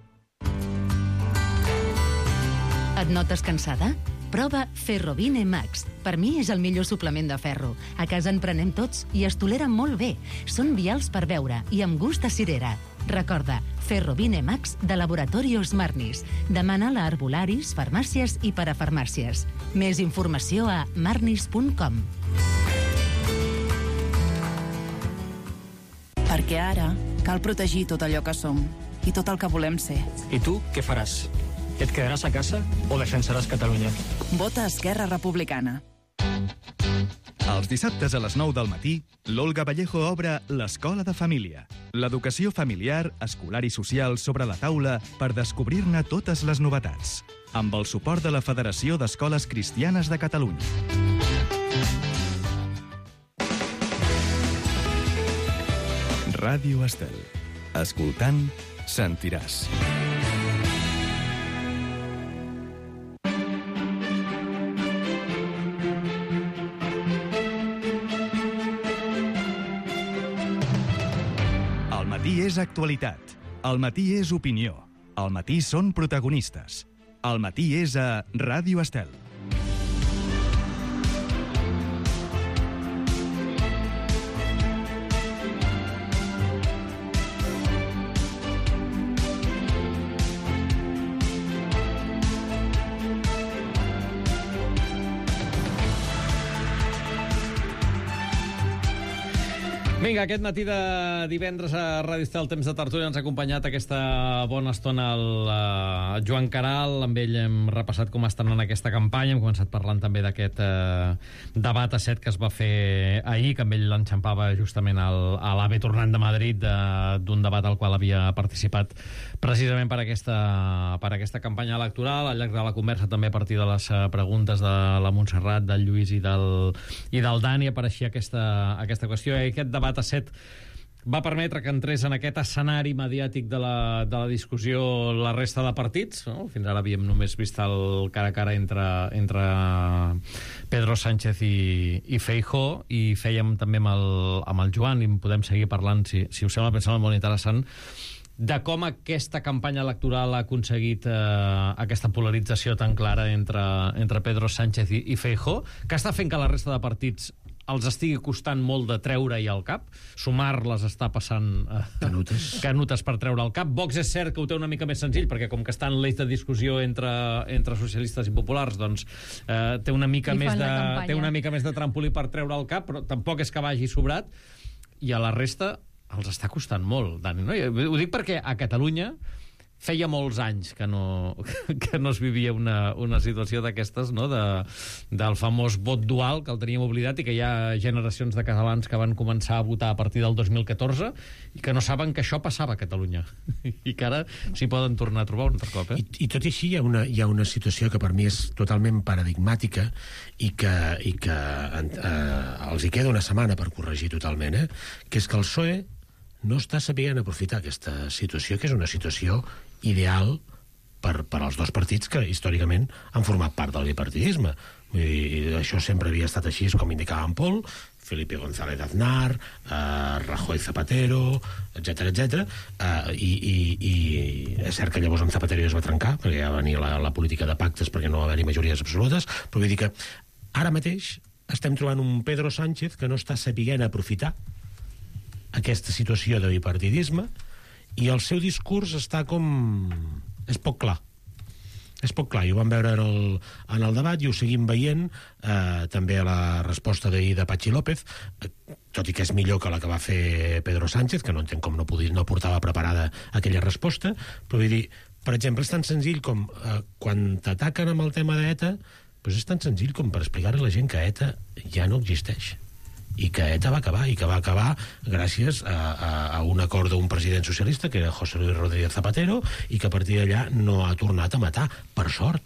Et notes cansada? Prova Ferrovine Max. Per mi és el millor suplement de ferro. A casa en prenem tots i es toleren molt bé. Són vials per beure i amb gust de cirera. Recorda, Ferrovine Max de Laboratorios Marnis. Demana-la a herbolaris, farmàcies i parafarmàcies. Més informació a marnis.com. Perquè ara cal protegir tot allò que som i tot el que volem ser. I tu què faràs? Et quedaràs a casa o defensaràs Catalunya? Vota Esquerra Republicana. Els dissabtes a les 9 del matí, l'Olga Vallejo obre l'Escola de Família. L'educació familiar, escolar i social sobre la taula per descobrir-ne totes les novetats. Amb el suport de la Federació d'Escoles Cristianes de Catalunya. Ràdio Estel. Escoltant, sentiràs. El matí és actualitat. El matí és opinió. El matí són protagonistes. El matí és a Ràdio Estel. Vinga, aquest matí de divendres a Ràdio Estel, temps de tertúlia, ens ha acompanyat aquesta bona estona el Joan Caral. Amb ell hem repassat com estan en aquesta campanya. Hem començat parlant també d'aquest debat a 7 que es va fer ahir, que amb ell l'enxampava justament a l'AVE tornant de Madrid d'un debat al qual havia participat precisament per aquesta campanya electoral. Al llarg de la conversa, també a partir de les preguntes de la Montserrat, del Lluís i del Dani, apareixia aquesta qüestió. I aquest debat a 7 va permetre que entrés en aquest escenari mediàtic de la discussió la resta de partits, no? Fins ara havíem només vist el cara a cara entre Pedro Sánchez i Feijóo, i fèiem també amb el Joan, i en podem seguir parlant, si us sembla, pensant molt interessant, de com aquesta campanya electoral ha aconseguit aquesta polarització tan clara entre Pedro Sánchez i Feijóo, que està fent que la resta de partits els estigui costant molt de treure-hi al cap. Sumar les està passant canutes per treure al cap. Vox és cert que ho té una mica més senzill, perquè com que està en l'eix de discussió entre socialistes i populars, doncs té una mica més de trampolí per treure al cap, però tampoc és que vagi sobrat, i a la resta els està costant molt, Dani, no? Ho dic perquè a Catalunya feia molts anys que no es vivia una situació d'aquestes, no? Del famós vot dual, que el teníem oblidat, i que hi ha generacions de catalans que van començar a votar a partir del 2014 i que no saben que això passava a Catalunya i que ara s'hi poden tornar a trobar un altre cop. I tot i així hi ha una situació que per mi és totalment paradigmàtica i que els hi queda una setmana per corregir totalment, que és que el PSOE no està sabent aprofitar aquesta situació, que és una situació ideal per als dos partits que històricament han format part del bipartidisme. I això sempre havia estat així, com indicava en Pol, Felipe González Aznar, Rajoy Zapatero, etc. I és cert que llavors en Zapatero es va trencar, perquè ja venia la política de pactes, perquè no va haver-hi majories absolutes, però vull dir que ara mateix estem trobant un Pedro Sánchez que no està sabent aprofitar aquesta situació de bipartidisme, i el seu discurs està com... és poc clar. És poc clar, i ho vam veure en el debat i ho seguim veient també a la resposta d'ahir de Patxi López, tot i que és millor que la que va fer Pedro Sánchez, que no entenc com no portava preparada aquella resposta, però vull dir, per exemple, és tan senzill com quan t'ataquen amb el tema d'ETA, doncs és tan senzill com per explicar-li a la gent que ETA ja no existeix, i que ETA va acabar, i que va acabar gràcies a un acord d'un president socialista, que era José Luis Rodríguez Zapatero, i que a partir d'allà no ha tornat a matar, per sort.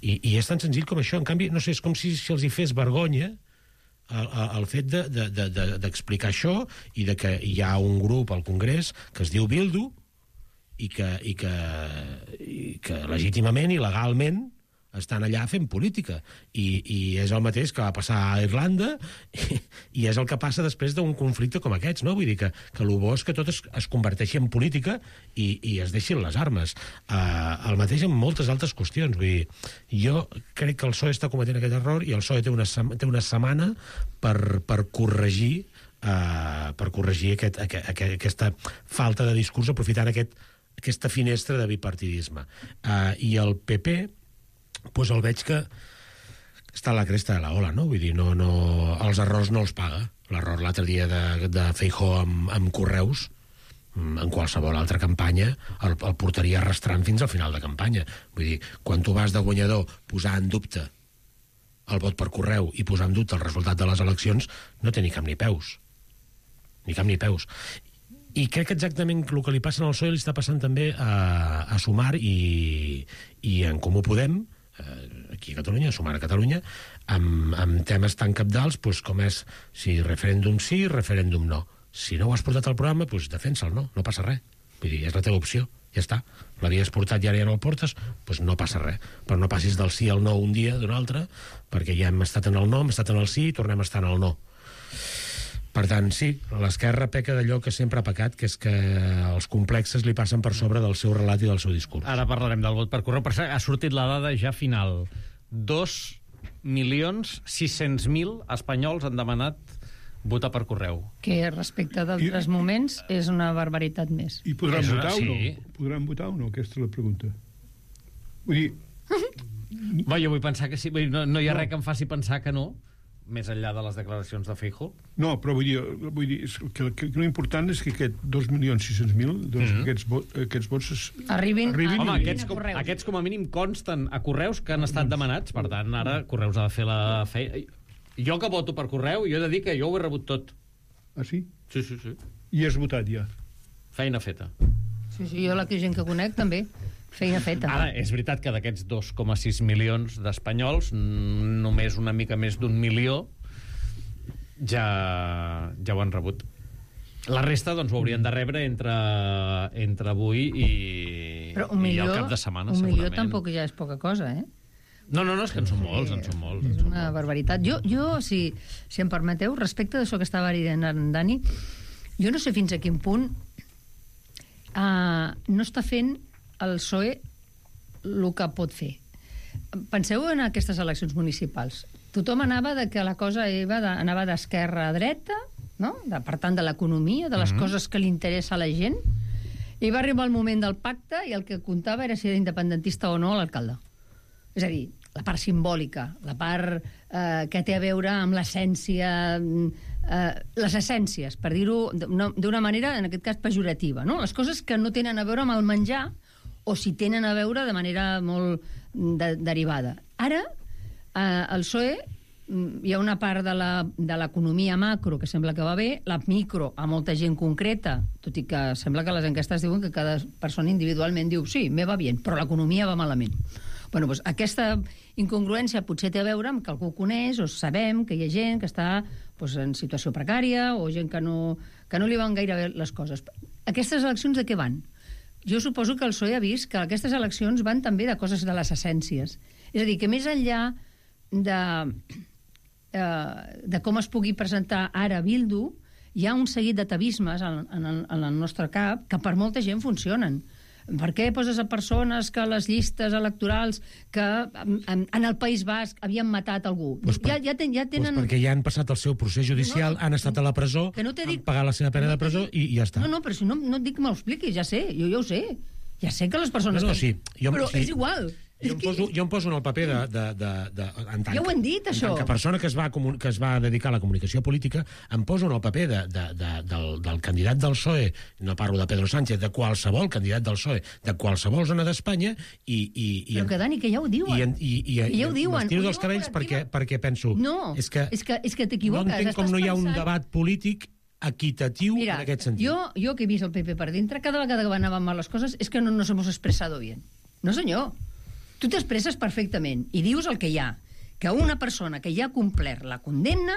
I és tan senzill com això. En canvi, no sé, és com si els hi fes vergonya el fet d'explicar això, i de que hi ha un grup al Congrés que es diu Bildu, i que legítimament i legalment estan allà fent política, i és el mateix que va passar a Irlanda, i és el que passa després d'un conflicte com aquests, no? Vull dir que el bo és que tot es converteixi en política i es deixin les armes. El mateix en moltes altres qüestions. Vull dir, jo crec que el PSOE està cometent aquest error, i el PSOE té una setmana per corregir aquesta falta de discurs, aprofitant aquesta finestra de bipartidisme. I el PP, doncs el veig que està a la cresta de la ola, no? Vull dir, els errors no els paga. L'error l'altre dia de Feijóo amb Correus, en qualsevol altra campanya, el portaria arrastrant fins al final de campanya. Vull dir, quan tu vas de guanyador posar en dubte el vot per correu i posar en dubte el resultat de les eleccions, no té ni cap ni peus. Ni cap ni peus. I crec que exactament el que li passa al PSOE li està passant també a Sumar i en Comú Podem, aquí a Catalunya, a Sumar a Catalunya, amb temes tan cabdals com és si referèndum sí, referèndum no. Si no ho has portat al programa, defensa'l, no passa res. Vull dir, és la teva opció, ja està. L'havies portat i ara ja no el portes, doncs no passa res. Però no passis del sí al no un dia d'un altre, perquè ja hem estat en el no, hem estat en el sí i tornem a estar en el no. Per tant, sí, l'esquerra peca d'allò que sempre ha pecat, que és que els complexes li passen per sobre del seu relat i del seu discurs. Ara parlarem del vot per correu. Per cert, ha sortit la dada ja final. 2.600.000 espanyols han demanat votar per correu. Que respecte d'altres moments és una barbaritat més. I podran votar o no? Podran votar o no? Aquesta és la pregunta. Vull dir... Jo vull pensar que sí. No hi ha res que em faci pensar que no, més enllà de les declaracions de Feijóo. No, però vull dir que l'important és que aquests 2.600.000, doncs aquests vots arribin. Home, aquests com a mínim consten a correus que han estat demanats, per tant, ara Correus ha de fer la feina. Jo que voto per correu, jo he de dir que jo ho he rebut tot. Ah, sí? Sí. I has votat ja? Feina feta. Sí, jo la gent que conec també. Feina feta. Ara, és veritat que d'aquests 2,6 milions d'espanyols, només una mica més d'1 milió ja ho han rebut. La resta, doncs, ho haurien de rebre entre avui i el cap de setmana, segurament. 1 milió tampoc ja és poca cosa, eh? No, és que en són molts, És una barbaritat. Jo, si em permeteu, respecte d'això que estava dient en Dani, jo no sé fins a quin punt no està fent el PSOE el que pot fer. Penseu en aquestes eleccions municipals. Tothom anava de que la cosa anava d'esquerra a dreta, no? Per tant, de l'economia, de les coses que li interessa a la gent, i va arribar el moment del pacte i el que comptava era si era independentista o no l'alcalde. És a dir, la part simbòlica, la part que té a veure amb l'essència, les essències, per dir-ho d'una manera, en aquest cas, pejorativa, no? Les coses que no tenen a veure amb el menjar o si tenen a veure de manera molt derivada. Ara, el PSOE, hi ha una part de l'economia macro que sembla que va bé, la micro a molta gent concreta, tot i que sembla que les enquestes diuen que cada persona individualment diu sí, me va bé, però l'economia va malament. Bueno, doncs aquesta incongruència potser té a veure amb que algú coneix o sabem que hi ha gent que està en situació precària o gent que no li van gaire bé les coses. Aquestes eleccions de què van? Jo suposo que el PSOE ha vist que aquestes eleccions van també de coses de les essències. És a dir, que més enllà de com es pugui presentar ara Bildu, hi ha un seguit d'atavismes en el nostre cap que per molta gent funcionen. Per què poses a persones que a les llistes electorals que en el País Basc havien matat algú? Ja tenen... Perquè ja han passat el seu procés judicial, han estat a la presó, han pagat la seva pena de presó i ja està. No, però si no et dic que m'ho expliquis, ja sé, jo ho sé. Ja sé que les persones... Però és igual. Jo em poso en el paper ja ho hem dit, això. En tant que persona que es va dedicar a la comunicació política, em poso en el paper del candidat del PSOE, no parlo de Pedro Sánchez, de qualsevol candidat del PSOE, de qualsevol zona d'Espanya, però que, Dani, que ja ho diuen. I m'estiro dels cabells perquè penso... No, és que t'equivoques. No entenc com no hi ha un debat polític equitatiu en aquest sentit. Jo que he vist el PP per dintre, cada vegada que anaven mal les coses és que no nos hemos expresado bien. No, senyor. Tu t'expresses perfectament i dius el que hi ha, que una persona que ja ha complert la condemna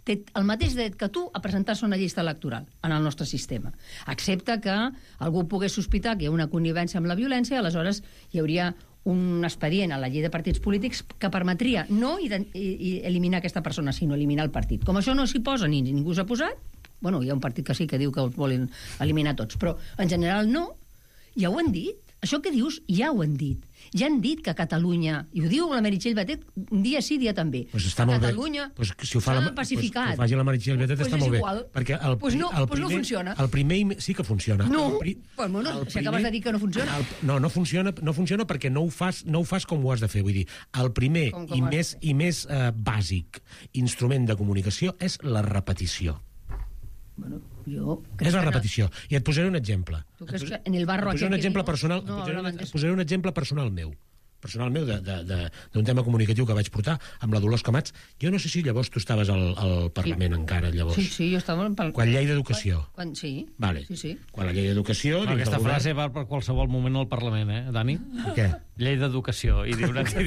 té el mateix dret que tu a presentar-se una llista electoral en el nostre sistema. Excepte que algú pogués sospitar que hi ha una connivència amb la violència, aleshores hi hauria un expedient a la llei de partits polítics que permetria no eliminar aquesta persona, sinó eliminar el partit. Com això no s'hi posa ni ningú s'ha posat, bueno, hi ha un partit que sí que diu que els volen eliminar tots, però en general no, ja ho han dit. Això que dius ja ho han dit. Ja han dit que a Catalunya, i ho diu la Meritxell Batet dia sí, dia també, pues està molt Catalunya s'ha pacificat. Que ho faci la Meritxell Batet està molt bé. Perquè no funciona. El primer sí que funciona. No, si acabes de dir que no funciona. No funciona perquè no ho fas com ho has de fer. Vull dir, el primer i més bàsic instrument de comunicació és la repetició. Bueno, és la repetició. I et posaré un exemple. Tu creus que en el barro aquest... Et posaré un exemple personal meu d'un tema comunicatiu que vaig portar amb la Dolors Camats. Jo no sé si llavors tu estaves al Parlament encara, llavors. Sí, jo estava... Quan llei d'educació. Sí. Vale. Sí. Quan la llei d'educació... Aquesta frase va per qualsevol moment al Parlament, Dani? Què? Llei d'educació. I diu una cosa...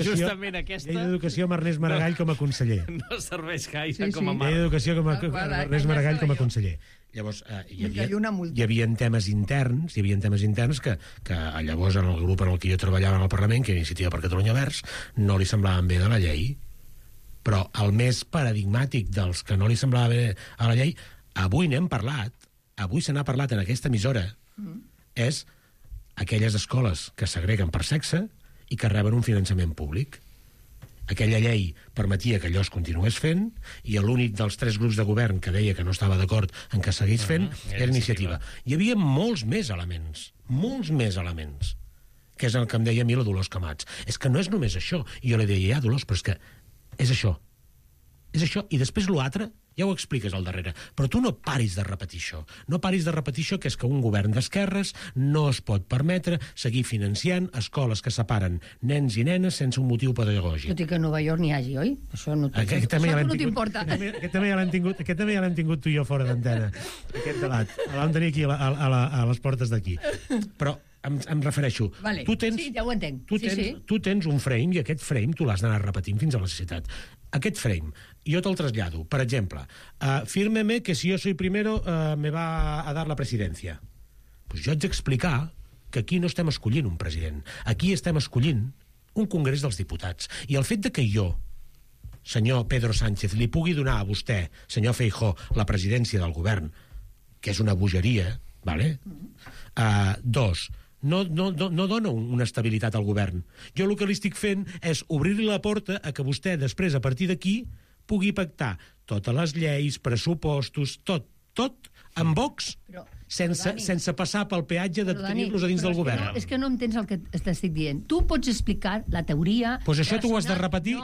Justament aquesta... Llei d'educació amb Ernest Maragall com a conseller. No serveix gaire com a marc. Llei d'educació amb Ernest Maragall com a conseller. Llavors, hi havia temes interns que llavors en el grup en el que jo treballava en el Parlament, que era Iniciativa per Catalunya Verds, no li semblaven bé de la llei. Però el més paradigmàtic dels que no li semblava bé a la llei, avui n'hem parlat, avui se n'ha parlat en aquesta emissora, és aquelles escoles que segreguen per sexe i que reben un finançament públic. Aquella llei permetia que allò es continués fent i l'únic dels 3 grups de govern que deia que no estava d'acord en que seguís fent era Iniciativa. Hi havia molts més elements, que és el que em deia a mi la Dolors Camats. És que no és només això. I jo li deia, Dolors, però és que és això. És això. I després l'altre ja ho expliques al darrere. Però tu no paris de repetir això. No paris de repetir això, que és que un govern d'esquerres no es pot permetre seguir financiant escoles que separen nens i nenes sense un motiu pedagògic. Tot i que a Nova York n'hi hagi, oi? Això no t'importa. Aquest també ja l'hem tingut tu i jo fora d'antena, aquest debat. El vam tenir aquí a les portes d'aquí. Però em refereixo... Vale. Sí, ja ho entenc. Tu tens un frame i aquest frame tu l'has d'anar repetint fins a la necessitat. Aquest frame, jo te'l trasllado. Per exemple, fírmeme que si yo soy primero me va a dar la presidencia. Pues jo haig d'explicar que aquí no estem escollint un president. Aquí estem escollint un congrés dels diputats. I el fet de que jo, senyor Pedro Sánchez, li pugui donar a vostè, senyor Feijóo, la presidència del govern, que és una bogeria, ¿vale? No dona una estabilitat al govern. Jo el que li estic fent és obrir-li la porta a que vostè després, a partir d'aquí, pugui pactar totes les lleis, pressupostos, tot amb Vox, sense passar pel peatge de tenir-los a dins del govern. És que no entens el que t'estic dient. Tu pots explicar la teoria... Doncs això tu ho has de repetir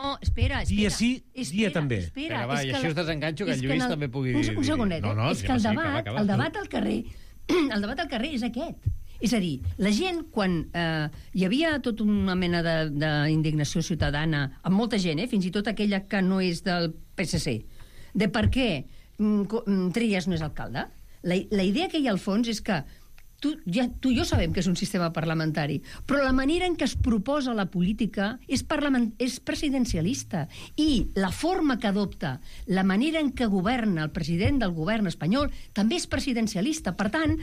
dia sí, dia també. Vinga, va, i així us desenganxo que el Lluís també pugui dir... Un segonet, és que el debat al carrer és aquest. És a dir, la gent, quan hi havia tota una mena d'indignació ciutadana, amb molta gent, fins i tot aquella que no és del PSC, de per què Trias no és alcalde, la idea que hi ha al fons és que tu i jo sabem que és un sistema parlamentari, però la manera en què es proposa la política és presidencialista, i la forma que adopta, la manera en què governa el president del govern espanyol també és presidencialista. Per tant,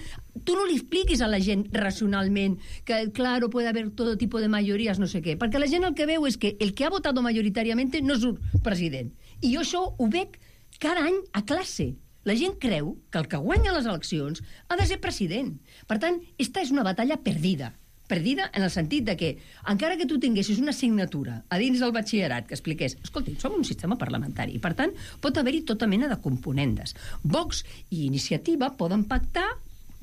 tu no li expliquis a la gent racionalment que, claro, puede haber todo tipo de mayorías, no sé què, perquè la gent el que veu és que el que ha votado majoritàriament no és un president. I jo això ho veig cada any a classe. La gent creu que el que guanya les eleccions ha de ser president. Per tant, esta és una batalla perdida. Perdida en el sentit de que, encara que tu tinguessis una assignatura a dins del batxillerat que expliqués, escolti, som un sistema parlamentari, i per tant pot haver-hi tota mena de componendes. Vox i Iniciativa poden pactar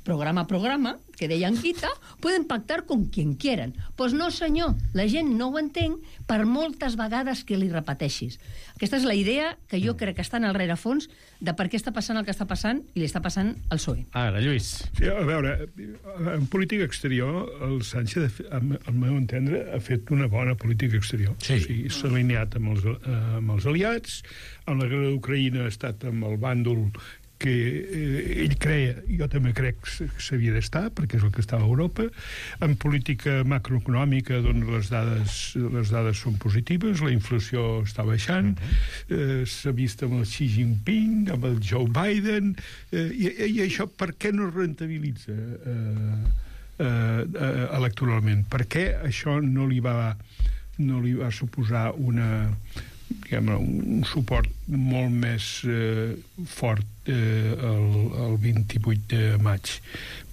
programa a programa, que deia Anquita, poden pactar con quien quieran. Pues no, senyor, la gent no ho entén per moltes vegades que li repeteixis. Aquesta és la idea que jo crec que està en el rerefons de per què està passant el que està passant i li està passant al PSOE. Ara, Lluís. Sí, a veure, en política exterior, el Sánchez, al meu entendre, ha fet una bona política exterior. Sí. O sigui, s'ha alineat amb els aliats, en la guerra d'Ucraïna ha estat amb el bàndol que ell creia, jo també crec que s'havia d'estar, perquè és el que estava a Europa. En política macroeconòmica, doncs les dades són positives, la inflació està baixant, s'ha vist amb el Xi Jinping, amb el Joe Biden, i això per què no es rentabilitza electoralment? Per què això no li va suposar un suport molt més fort el 28 de maig?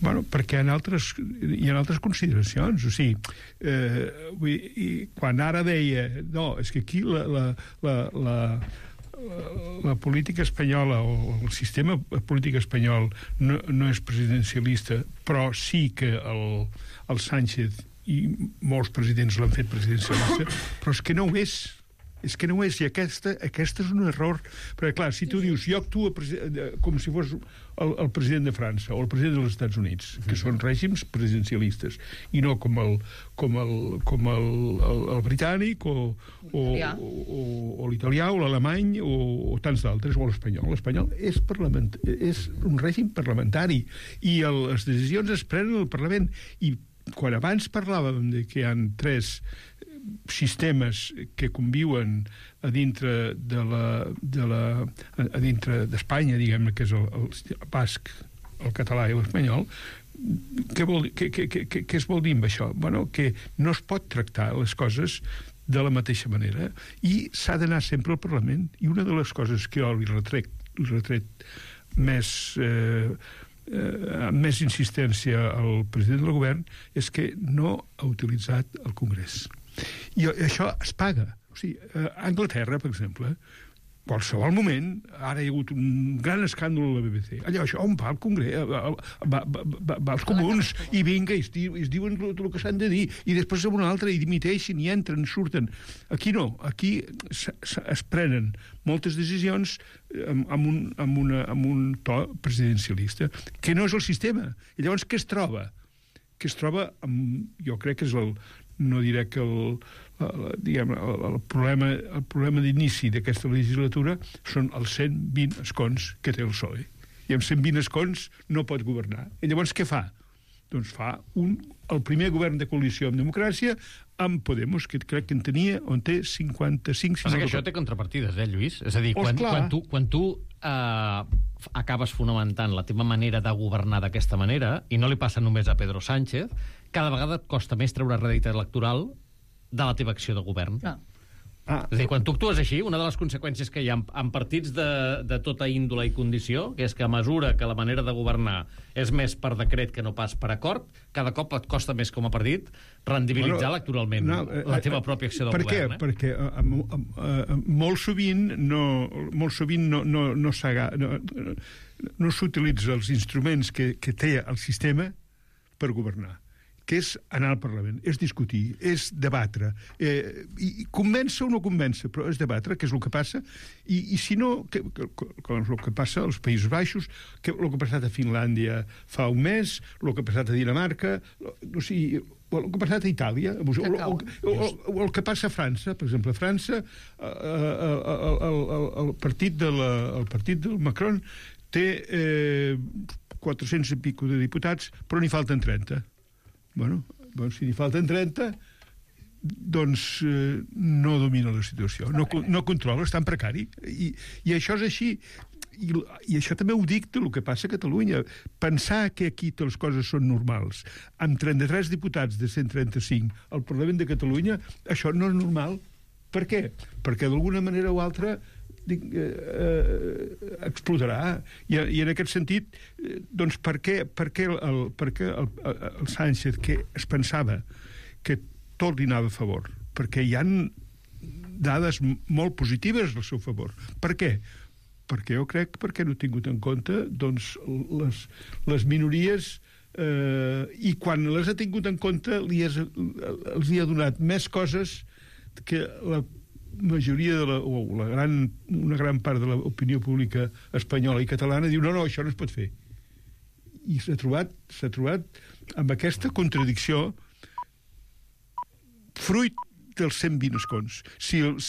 Bueno, perquè hi ha altres consideracions. O sigui, quan ara deia no, és que aquí la política espanyola o el sistema polític espanyol no és presidencialista, però sí que el Sánchez i molts presidents l'han fet presidencialista, però és que no ho és. És que no ho és, i aquesta és un error. Perquè, clar, si tu dius, jo actuo com si fos el president de França o el president dels Estats Units, que són règims presidencialistes, i no com el britànic o l'italià o l'alemany o tants d'altres, o l'espanyol. L'espanyol és un règim parlamentari i les decisions es prenen al Parlament. I quan abans parlàvem de que hi ha 3 sistemes que conviuen a dintre d'Espanya, diguem-ne, que és el basc, el català i l'espanyol, què es vol dir amb això? Bueno, que no es pot tractar les coses de la mateixa manera i s'ha d'anar sempre al Parlament. I una de les coses que jo li retret amb més insistència al president del govern és que no ha utilitzat el Congrés. I això es paga. O sigui, a Anglaterra, per exemple, qualsevol moment, ara hi ha hagut un gran escàndol a la BBC. Allò, això on va el Congrés? Va als comuns i vinga, i es diuen el que s'han de dir, i després en una altra i dimiteixen i entren, surten. Aquí no. Aquí es prenen moltes decisions amb un to presidencialista, que no és el sistema. I llavors què es troba? Que es troba jo crec que és no diré que el problema d'inici d'aquesta legislatura són els 120 escons que té el PSOE. I amb 120 escons no pot governar. I llavors què fa? Doncs fa el primer govern de coalició en democràcia amb Podemos, que crec que en tenia, on té 55... Passa que això té contrapartides, Lluís? És a dir, quan tu acabes fonamentant la teva manera de governar d'aquesta manera, i no li passa només a Pedro Sánchez, cada vegada et costa més treure rèdit electoral de la teva acció de govern. És a dir, quan tu actues així, una de les conseqüències que hi ha en partits de tota índole i condició, que és que a mesura que la manera de governar és més per decret que no pas per acord, cada cop et costa més com a partit rendibilitzar electoralment la teva pròpia acció de govern. Per què? Perquè molt sovint no s'utilitza els instruments que té el sistema per governar, que és anar al Parlament, és discutir, és debatre. I convèncer o no convèncer, però és debatre, que és el que passa, i si no, com el que passa als Països Baixos, el que ha passat a Finlàndia fa un mes, el que ha passat a Dinamarca, o sigui, el que ha passat a Itàlia, o el que passa a França. Per exemple, a França, el partit del Macron té 400 i pico de diputats, però n'hi falten 30. Bueno, si n'hi falten 30, doncs no domina la situació, no controla, és tan precari. I això és així. I això també ho dicta el que passa a Catalunya. Pensar que aquí les coses són normals, amb 33 diputats de 135 al Parlament de Catalunya, això no és normal. Per què? Perquè d'alguna manera o altra explotarà. I en aquest sentit, doncs, per què el Sánchez, que es pensava que tot li anava a favor? Perquè hi han dades molt positives al seu favor. Per què? Perquè jo crec perquè no ha tingut en compte doncs, les minories, i quan les ha tingut en compte els hi ha donat més coses que la majoria una gran part de l'opinió pública espanyola i catalana diu no, això no es pot fer. I s'ha trobat amb aquesta contradicció fruit dels 120 escons. Si ell